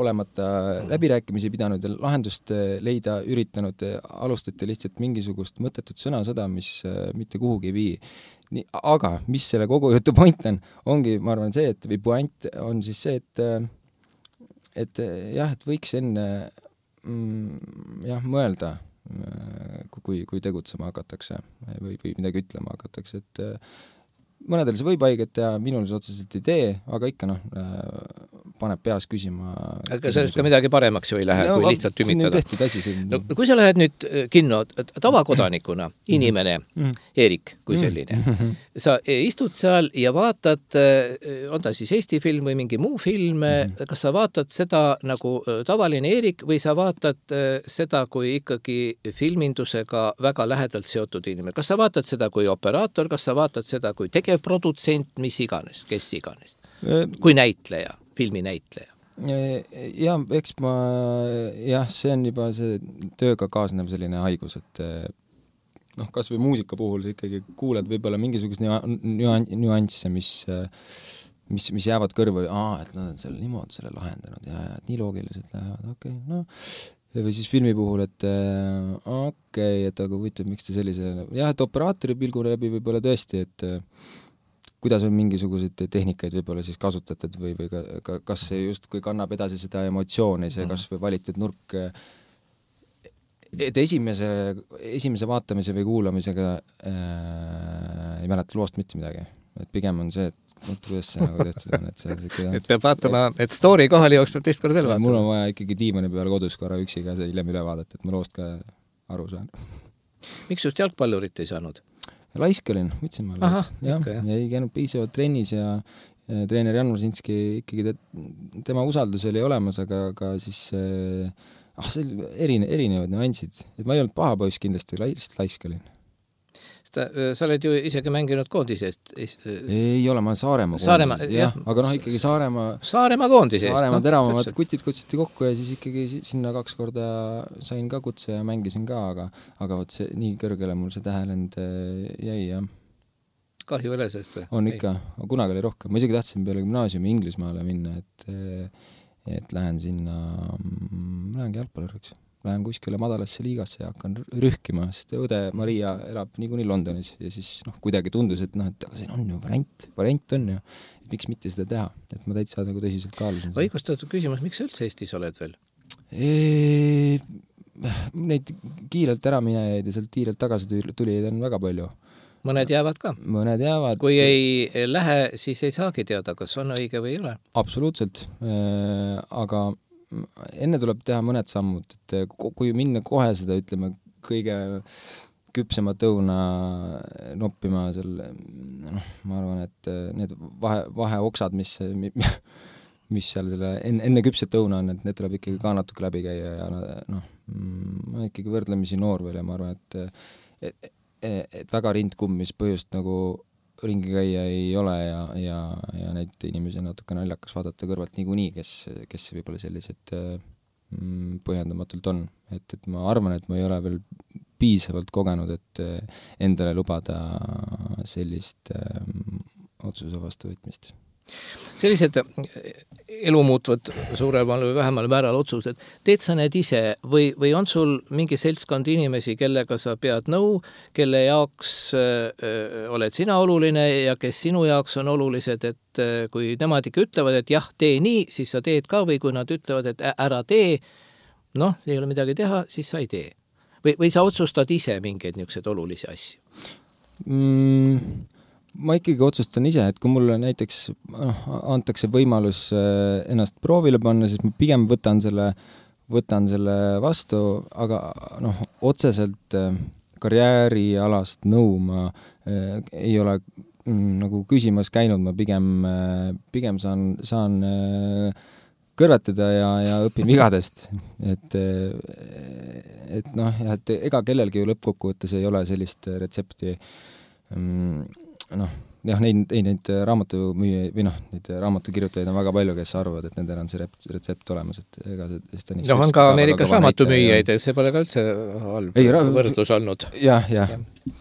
olemata läbirääkimisi pidanud ja lahendust leida üritanud, alustati lihtsalt mingisugust mõttetut sõnasõda, mis äh, mitte kuhugi ei vii. Nii, aga mis selle kogu jutu point on, ongi, ma arvan, see, et või point on siis see, et et jah, et võiks enne mm, jah, mõelda, kui, kui tegutsema hakatakse või, või midagi ütlema hakatakse, et mõnedel see võib haiget teha, minul see otseselt ei tee, aga ikka noh, paneb peas küsima. Aga sellest ka midagi paremaks ju ei lähe, no, kui lihtsalt tümitada. No, kui sa lähed nüüd kinno tavakodanikuna, inimene, mm. Eerik kui selline, mm. sa istud seal ja vaatad, on ta siis Eesti film või mingi muu film, mm. kas sa vaatad seda nagu tavaline Eerik või sa vaatad seda kui ikkagi filmindusega väga lähedalt seotud inimene? Kas sa vaatad seda kui operaator, kas sa vaatad seda kui tegevprodutsent, mis iganes, kes iganes? Kui näitleja, filmi näitleja? Ja, eks ma, jah, see on juba see tööga kaasnev selline haigus, et noh, kas või muusika puhul ikkagi kuuled võib-olla mingisugust nüansse, mis, mis, mis jäävad kõrva, aa, et nad on selle niimoodi selle lahendanud ja, ja et nii loogiliselt lähevad, okei, okay, noh, või siis filmi puhul, et okei, okay, et aga huvitav, miks te sellise, jah, et operaatori pilgu läbi võib-olla tõesti, et kuidas on mingisuguseid tehnikaid võib-olla siis kasutatud või, või ka, ka, kas see just, kui kannab edasi seda emotsiooni, see kas või valitud nurk, et esimese, esimese vaatamise või kuulamisega äh, ei mäleta loost mitte midagi. Et pigem on see, et kuidas see nagu tehtud on. Et, see, et peab vaatama, et story kohali jooks peab teist kord veel vaatama. Mul on vaja ikkagi diimani peal kodus korra üksiga see hiljem üle vaadata, et ma loost ka aru saan. Miks just jalgpallurit ei saanud? Laisk olin, võtsin ma laisk. Ja, okay. ja ei käinud piisavalt trennis ja, ja treener Jan Rosinski ikkagi te, tema usaldus oli olemas, aga, aga siis ah, see erine, erinevad nüansid. Et ma ei olnud paha poiss kindlasti, lihtsalt laisk olin. Sa, sa oled ju isegi mänginud koondisest. Ei ole, ma olen Saaremaa koondisest. Jah, jah, aga noh, ikkagi Saaremaa... Saaremaa koondisest. Saaremaa no, teravamad kutid kutsiti kokku ja siis ikkagi sinna kaks korda sain ka kutse ja mängisin ka, aga, aga võt see nii kõrgele mul see tähelend jäi, jah. Kahju üle sellest või? On ikka, kunagi oli rohkem. Ma isegi tahtsin peale gümnaasiumi Inglismaale minna, et, et lähen sinna, lähengi jalgpalluriks. Lähen kuskile madalasse liigasse ja hakkan rühkima, sest õde Maria elab niikuinii Londonis ja siis noh, kuidagi tundus, et noh, et aga see on ju variant, variant on ju, et miks mitte seda teha, et ma täitsa nagu tõsiselt kaalusin. Õigustatud küsimus, miks sa üldse Eestis oled veel? E, neid kiirelt ära minejaid ja sealt kiirelt tagasi tuli on väga palju. Mõned jäävad ka. Mõned jäävad. Kui ei lähe, siis ei saagi teada, kas on õige või ei ole. Absoluutselt, e, aga enne tuleb teha mõned sammud, et kui minna kohe seda, ütleme, kõige küpsemat õuna noppima selle, noh, ma arvan, et need vahe, vaheoksad, mis, mis seal selle enne, enne küpset õuna on, et need tuleb ikkagi ka natuke läbi käia ja noh, ma ikkagi võrdlemisi noor veel ja ma arvan, et, et, et väga rindkumm, mis põhjust nagu ringi käia ei ole ja, ja, ja neid inimesi natuke naljakas vaadata kõrvalt niikuinii, kes, kes võib-olla sellised mm, põhjendamatult on. Et, et ma arvan, et ma ei ole veel piisavalt kogenud, et endale lubada sellist ähm, otsuse vastuvõtmist. Sellised elu muutvad suuremal või vähemal määral otsused. Teed sa need ise või, või on sul mingi seltskond inimesi, kellega sa pead nõu, kelle jaoks öö, oled sina oluline ja kes sinu jaoks on olulised, et öö, kui nemad ikka ütlevad, et jah, tee nii, siis sa teed ka või kui nad ütlevad, et ära tee, noh, ei ole midagi teha, siis sa ei tee. Või, või sa otsustad ise mingeid niisuguseid olulisi asju? Mm. Ma ikkagi otsustan ise, et kui mulle näiteks noh, antakse võimalus ennast proovile panna, siis ma pigem võtan selle, võtan selle vastu, aga noh, otseselt karjäärialast nõu ma eh, ei ole mm, nagu küsimas käinud, ma pigem, pigem saan, saan eh, kõrvetada ja, ja õpin vigadest. Et, et noh, et ega kellelgi ju lõppkokkuvõttes ei ole sellist retsepti mm, noh, jah, neid, neid, neid raamatumüüja või noh, neid raamatukirjutajaid on väga palju, kes arvavad, et nendel on see retsept olemas, et ega see no, on ka Ameerikas raamatumüüjaid, see pole ka üldse halb ei, ra- võrdlus olnud. Jah, jah. Ja.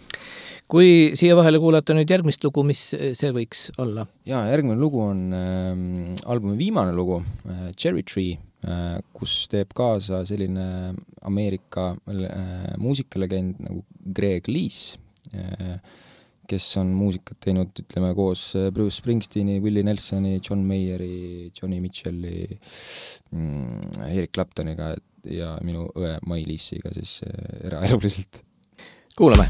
Kui siia vahele kuulata nüüd järgmist lugu, mis see võiks olla? Ja, järgmine lugu on äh, albumi viimane lugu, äh, Cherry Tree, äh, kus teeb kaasa selline Ameerika äh, muusikalegend nagu Greg Lees, äh, kes on muusikat teinud, ütleme, koos Bruce Springsteeni, Willie Nelsoni, John Mayeri, Johnny Mitchelli, mm, Eric Claptoniga ja minu õe Mai Liisiga siis eraeluliselt. Kuulame!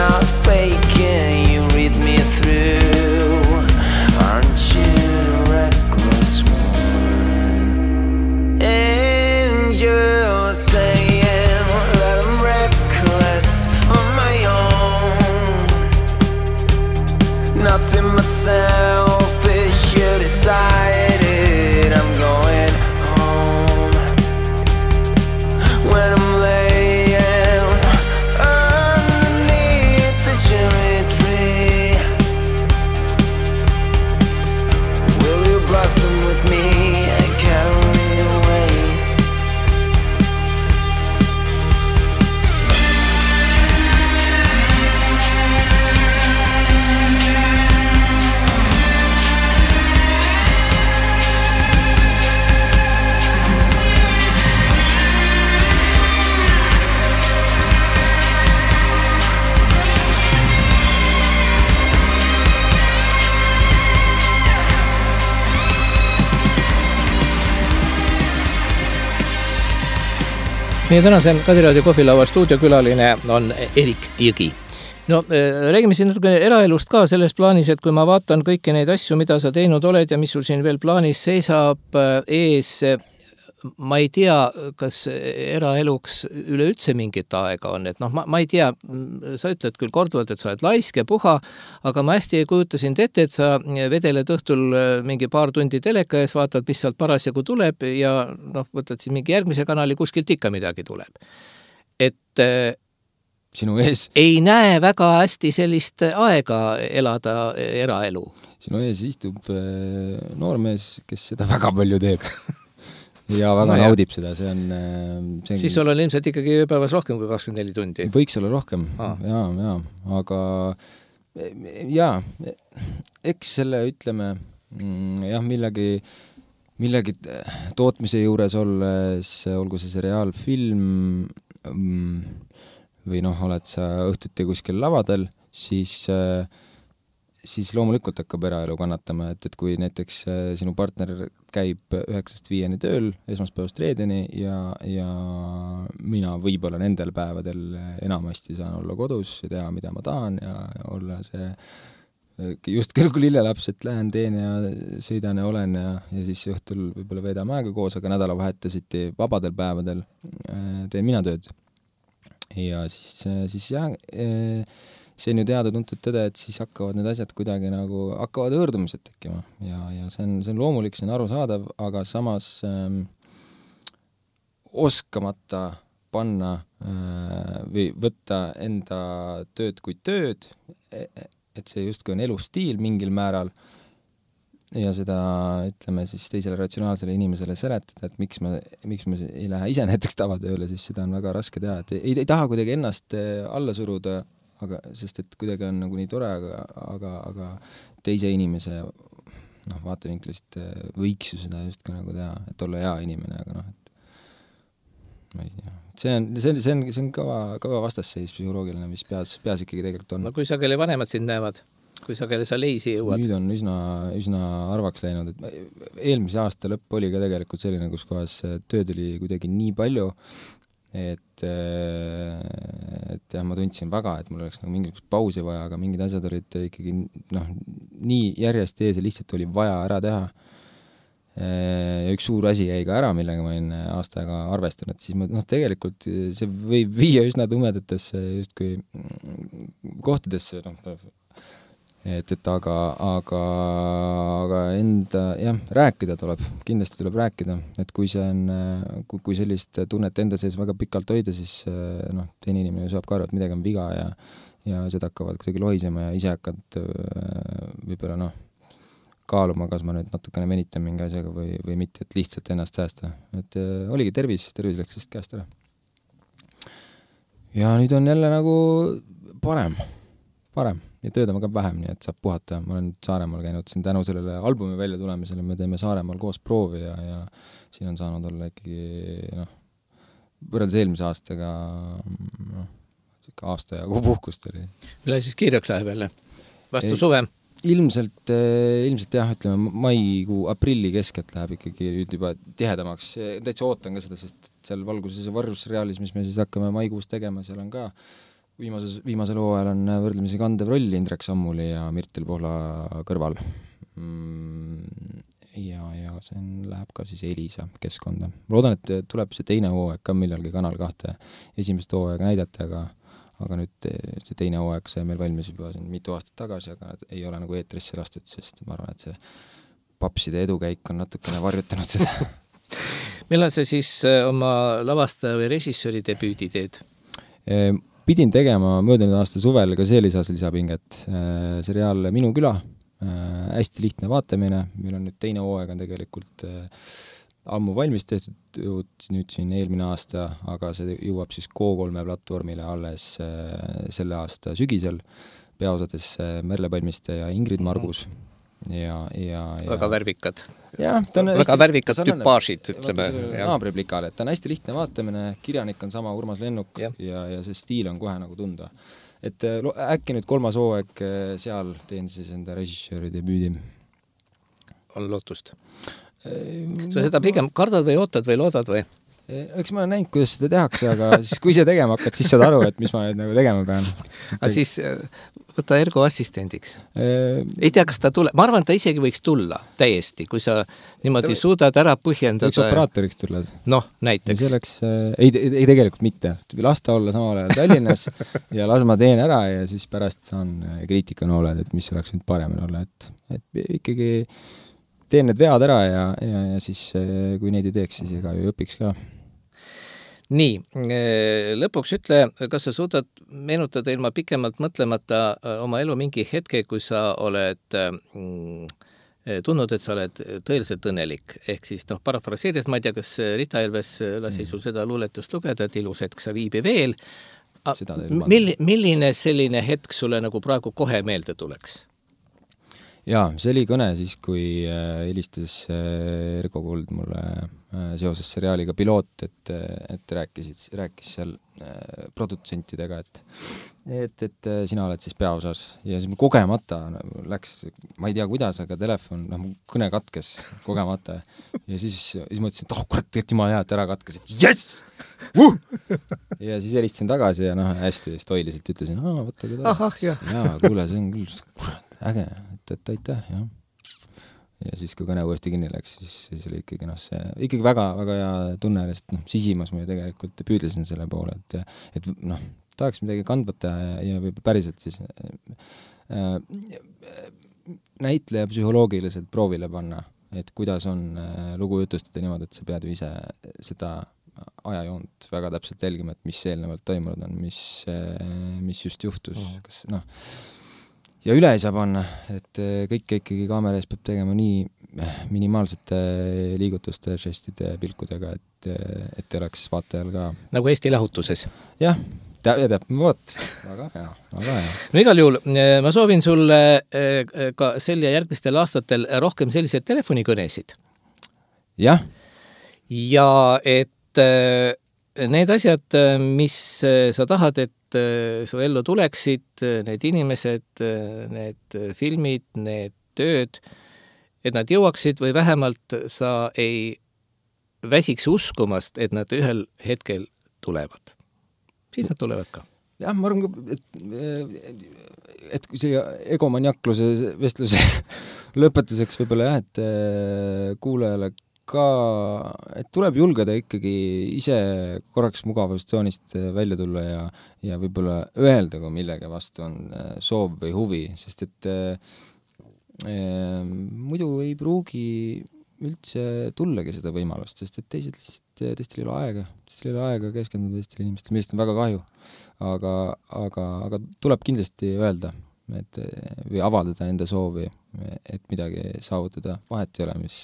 not faking, you read me through. Aren't you the reckless one? And you're saying that I'm reckless on my own. Nothing but selfish, you decided I'm going home. When I'm laying underneath the cherry tree, will you blossom with me and carry away? Meie tänase Kadiraadio kohvilaua stuudiokülaline on Erik Jõgi. No, räägime siin natuke eraelust ka selles plaanis, et kui ma vaatan kõiki neid asju, mida sa teinud oled ja mis sul siin veel plaanis seisab ees, ma ei tea, kas eraeluks üleüldse mingit aega on, et noh, ma, ma ei tea, sa ütled küll korduvalt, et sa oled laisk ja puha, aga ma hästi kujutasin ette, et sa vedeled õhtul mingi paar tundi teleka ees, vaatad, mis sealt parasjagu tuleb ja noh, võtad siis mingi järgmise kanali, kuskilt ikka midagi tuleb. Et sinu ees ei näe väga hästi sellist aega elada eraelu. Sinu ees istub noormees, kes seda väga palju teeb. Ja väga no, naudib jah. Seda, see on, see on... Siis sul on ilmselt ikkagi ööpäevas rohkem kui kakskümmend neli tundi. Võiks olla rohkem, ah. jaa, jaa, aga jaa, eks selle ütleme, jah, millegi, millegi tootmise juures olles, olgu see seriaalfilm või noh, oled sa õhtuti kuskil lavadel, siis siis loomulikult hakkab eraelu kannatama, et, et kui näiteks sinu partner käib üheksast viieni tööl, esmaspäevast reedeni ja, ja mina võib-olla nendel päevadel enamasti saan olla kodus ja teha, mida ma tahan ja, ja olla see just kõrgu lillelaps, et lähen, teen ja sõidan ja olen ja, ja siis õhtul võib-olla veedame aega koos, aga nädalavahetusiti vabadel päevadel teen mina tööd. Ja siis, siis jah, see on ju teada tuntud tõde, et siis hakkavad need asjad kuidagi nagu, hakkavad õõrdumised tekkima ja, ja see on, see on loomulik, see on arusaadav, aga samas ähm, oskamata panna äh, või võtta enda tööd kui tööd, et see justkui on elustiil mingil määral ja seda, ütleme siis teisele ratsionaalsele inimesele seletada, et miks ma, miks ma ei lähe ise näiteks tavatööle, siis seda on väga raske teha, et ei, ei taha kuidagi ennast alla suruda, aga, sest et kuidagi on nagu nii tore, aga, aga, aga teise inimese noh, vaatevinklist võiks ju seda just ka nagu teha, et olla hea inimene, aga noh, et ma ei tea. See on, see on, see on, see on kõva, kõva vastasseis psühholoogiline, mis peas, peas ikkagi tegelikult on. No kui sageli vanemad sind näevad, kui sageli sa leisi jõuad? Nüüd on üsna, üsna arvaks läinud, et eelmise aasta lõpp oli ka tegelikult selline, kus kohas tööd oli kuidagi nii palju, et, et jah, ma tundsin väga, et mul oleks nagu mingisugust pausi vaja, aga mingid asjad olid ikkagi noh, nii järjest ees ja lihtsalt oli vaja ära teha. Ja üks suur asi jäi ka ära, millega ma olin aasta aega arvestanud, siis ma, noh, tegelikult see võib viia üsna tumedatesse just kui kohtadesse, noh, et, et aga, aga, aga enda, jah, rääkida tuleb, kindlasti tuleb rääkida, et kui see on, kui, kui sellist tunnet enda sees väga pikalt hoida, siis noh, teine inimene saab ka aru, et midagi on viga ja, ja seda hakkavad kuidagi lohisema ja ise hakkad võib-olla noh, kaaluma, kas ma nüüd natukene venitan mingi asjaga või, või mitte, et lihtsalt ennast säästa. Et äh, oligi tervis, tervis läks sellest käest ära. Ja nüüd on jälle nagu parem, parem ja tööd on ka vähem, nii et saab puhata. Ma olen Saaremaal käinud siin tänu sellele albumi välja tulemisele, me teeme Saaremaal koos proovi ja, ja siin on saanud olla ikkagi noh, võrreldes eelmise aastaga noh, aasta ja puhkust oli. Mille siis kiireks läheb jälle? Vastu Ei, suve? Ilmselt, ilmselt jah, ütleme, maikuu, aprilli keskelt läheb ikkagi nüüd juba tihedamaks. Täitsa ootan ka seda, sest seal valguses ja varjusreaalis, mis me siis hakkame maikuus tegema, seal on ka viimases, viimasel hooajal on võrdlemisi kandev roll Indrek Sammuli ja Mirtel Pohla kõrval. Ja, ja see on, läheb ka siis Elisa keskkonda. Ma loodan, et tuleb see teine hooaeg ka millalgi Kanal kahte esimest hooaega näidata, aga, aga nüüd see teine hooaeg sai meil valmis juba siin mitu aastat tagasi, aga ei ole nagu eetrisse lastud, sest ma arvan, et see papside edukäik on natukene varjutanud seda. Millal sa siis oma lavastaja või režissööri debüüdi teed? Pidin tegema möödunud aasta suvel, ka see lisas lisapinget. Seriaal Minu küla, hästi lihtne vaatamine, meil on nüüd teine hooaeg on tegelikult ammu valmis tehtud nüüd siin eelmine aasta, aga see jõuab siis K kolme platvormile alles selle aasta sügisel, peaosades Merle Palmiste ja Ingrid Margus. Ja, ja, ja... väga värvikad ja, väga hästi, värvikad tüpaažid, ütleme naabriplikale, et ta on hästi lihtne vaatamine, kirjanik on sama Urmas Lennuk ja, ja, ja see stiil on kohe nagu tunda, et äkki nüüd kolmas hooaeg seal teen siis enda režissööri debüüdi. On lootust? Sa seda pigem kardad või ootad või loodad või? Eks ma olen näinud, kuidas seda tehakse, aga siis kui ise tegema hakkad, siis saad aru, et mis ma nüüd nagu tegema pean. Aga siis võta Ergo assistendiks. Ei tea, kas ta tuleb. Ma arvan, et ta isegi võiks tulla täiesti, kui sa niimoodi ta suudad ära põhjendada. Võiks operaatoriks tulla. Noh, näiteks. Selleks, ei, ei tegelikult mitte. Las ta olla samal ajal Tallinnas ja las ma teen ära ja siis pärast saan kriitikanooled, et mis oleks nüüd paremini olla. Et, et ikkagi teen need vead ära ja, ja, ja siis kui neid ei teeks, siis ega ju õpiks ka. Nii, lõpuks ütle, kas sa suudad meenutada ilma pikemalt mõtlemata oma elu mingi hetke, kui sa oled mm, tundnud, et sa oled tõeliselt õnnelik. Ehk siis, noh, parafraseerides, ma ei tea, kas Rita Elves lasi sul seda luuletust lugeda, et ilus hetk sa viibi veel. Mill, milline selline hetk sulle nagu praegu kohe meelde tuleks? Jaa, see oli kõne siis, kui helistas Ergo Kuld mulle seoses seriaaliga Piloot, et, et rääkisid, rääkis seal produtsentidega, et, et, et sina oled siis peaosas. Ja siis kogemata läks, ma ei tea kuidas, aga telefon, noh, kõne katkes kogemata. Ja siis, siis mõtlesin, et oh, kurat, et jumal hea, et ära katkes, et yes! Uh! Ja siis helistasin tagasi ja noh, hästi stoiliselt ütlesin, aa, võtta ka tagasi. Jaa, kuule, see on küll, kurat, äge, et, et aitäh, jah. Ja siis, kui kõne uuesti kinni läks, siis, siis oli ikkagi, noh, see ikkagi väga, väga hea tunne, sest noh, sisimas ma ju tegelikult püüdlesin selle poole, et, et noh, tahaks midagi kandvata ja, ja võib-olla päriselt siis äh, näitleja psühholoogiliselt proovile panna, et kuidas on äh, lugu jutustada niimoodi, et sa pead ju ise seda ajajoont väga täpselt jälgima, et mis eelnevalt toimunud on, mis, äh, mis just juhtus, kas noh, ja üle ei saa panna, et kõik ikkagi kaamera ees peab tegema nii minimaalsete liigutuste, žestide, pilkudega, et, et oleks vaatajal ka. Nagu Eesti lahutuses. Jah, ja teab, võt, väga hea, väga hea. No igal juhul, ma soovin sulle ka sel ja järgmistel aastatel rohkem selliseid telefonikõnesid. Jah. Ja et need asjad, mis sa tahad, et su ellu tuleksid, need inimesed, need filmid, need tööd, et nad jõuaksid või vähemalt sa ei väsiks uskumast, et nad ühel hetkel tulevad. Siis nad tulevad ka. Jah, ma arvan, et, et kui see egomaniakluse vestluse lõpetuseks võib-olla jah, et kuulajale ka, et tuleb julgeda ikkagi ise korraks mugavustsoonist välja tulla ja, ja võib-olla öelda, kui millegi vastu on soov või huvi, sest et äh, muidu ei pruugi üldse tullagi seda võimalust, sest et teised lihtsalt, teistel ei ole aega, teistel ei ole aega keskenduda teistel inimestel, millest on väga kahju, aga, aga, aga tuleb kindlasti öelda, et või avaldada enda soovi, et midagi saavutada. Vahet ei ole, mis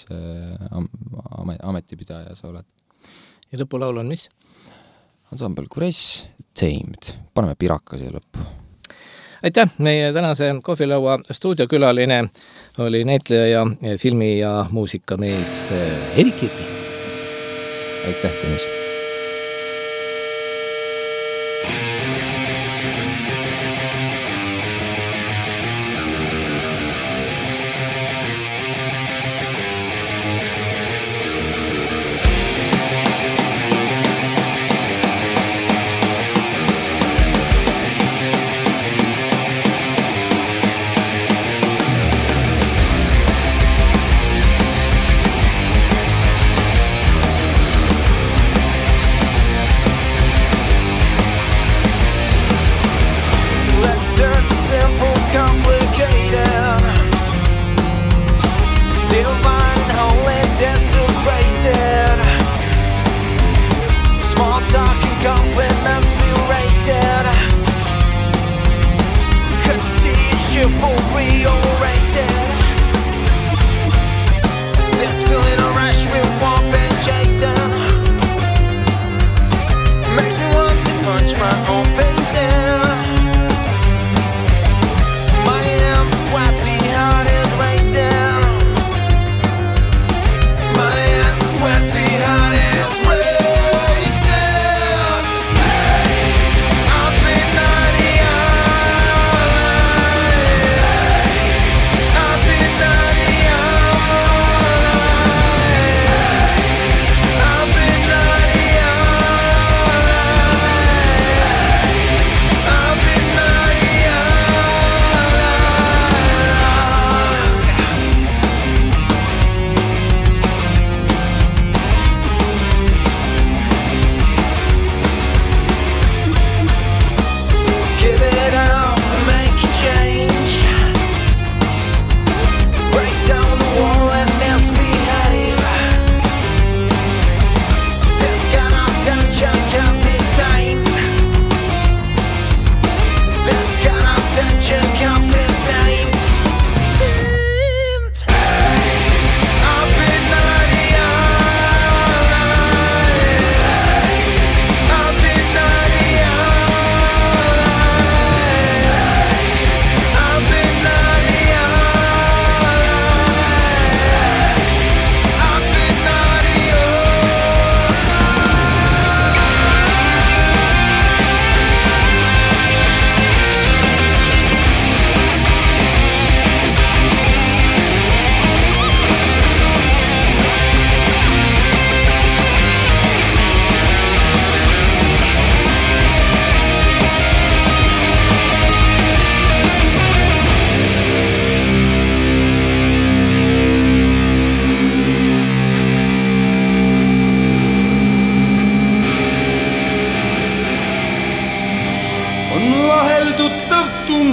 ametipidaja sa oled. Ja lõpulaul on mis? Ansambel Kuress, Tamed. Paneme piraka siia lõppu. Aitäh! Meie tänase kohvilaua stuudiokülaline oli näitleja ja filmi- ja muusikamees Erik Kirli. Aitäh, Tõnis!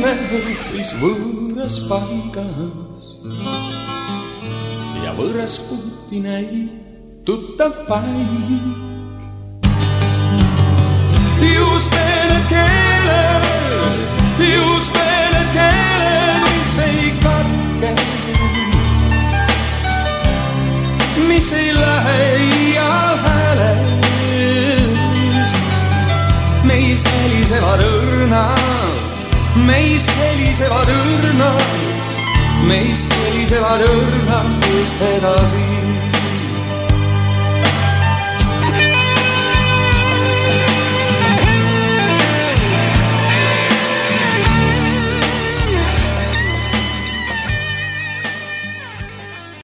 inimene hoopis võõras paigas ja võõras puuti näib tuttav paik. Just need keeled, just need keeled, mis ei katke, mis ei lähe ial häälest. Meis helisevad õrnad, meis helisevad õrnad, meis helisevad õrnad edasi.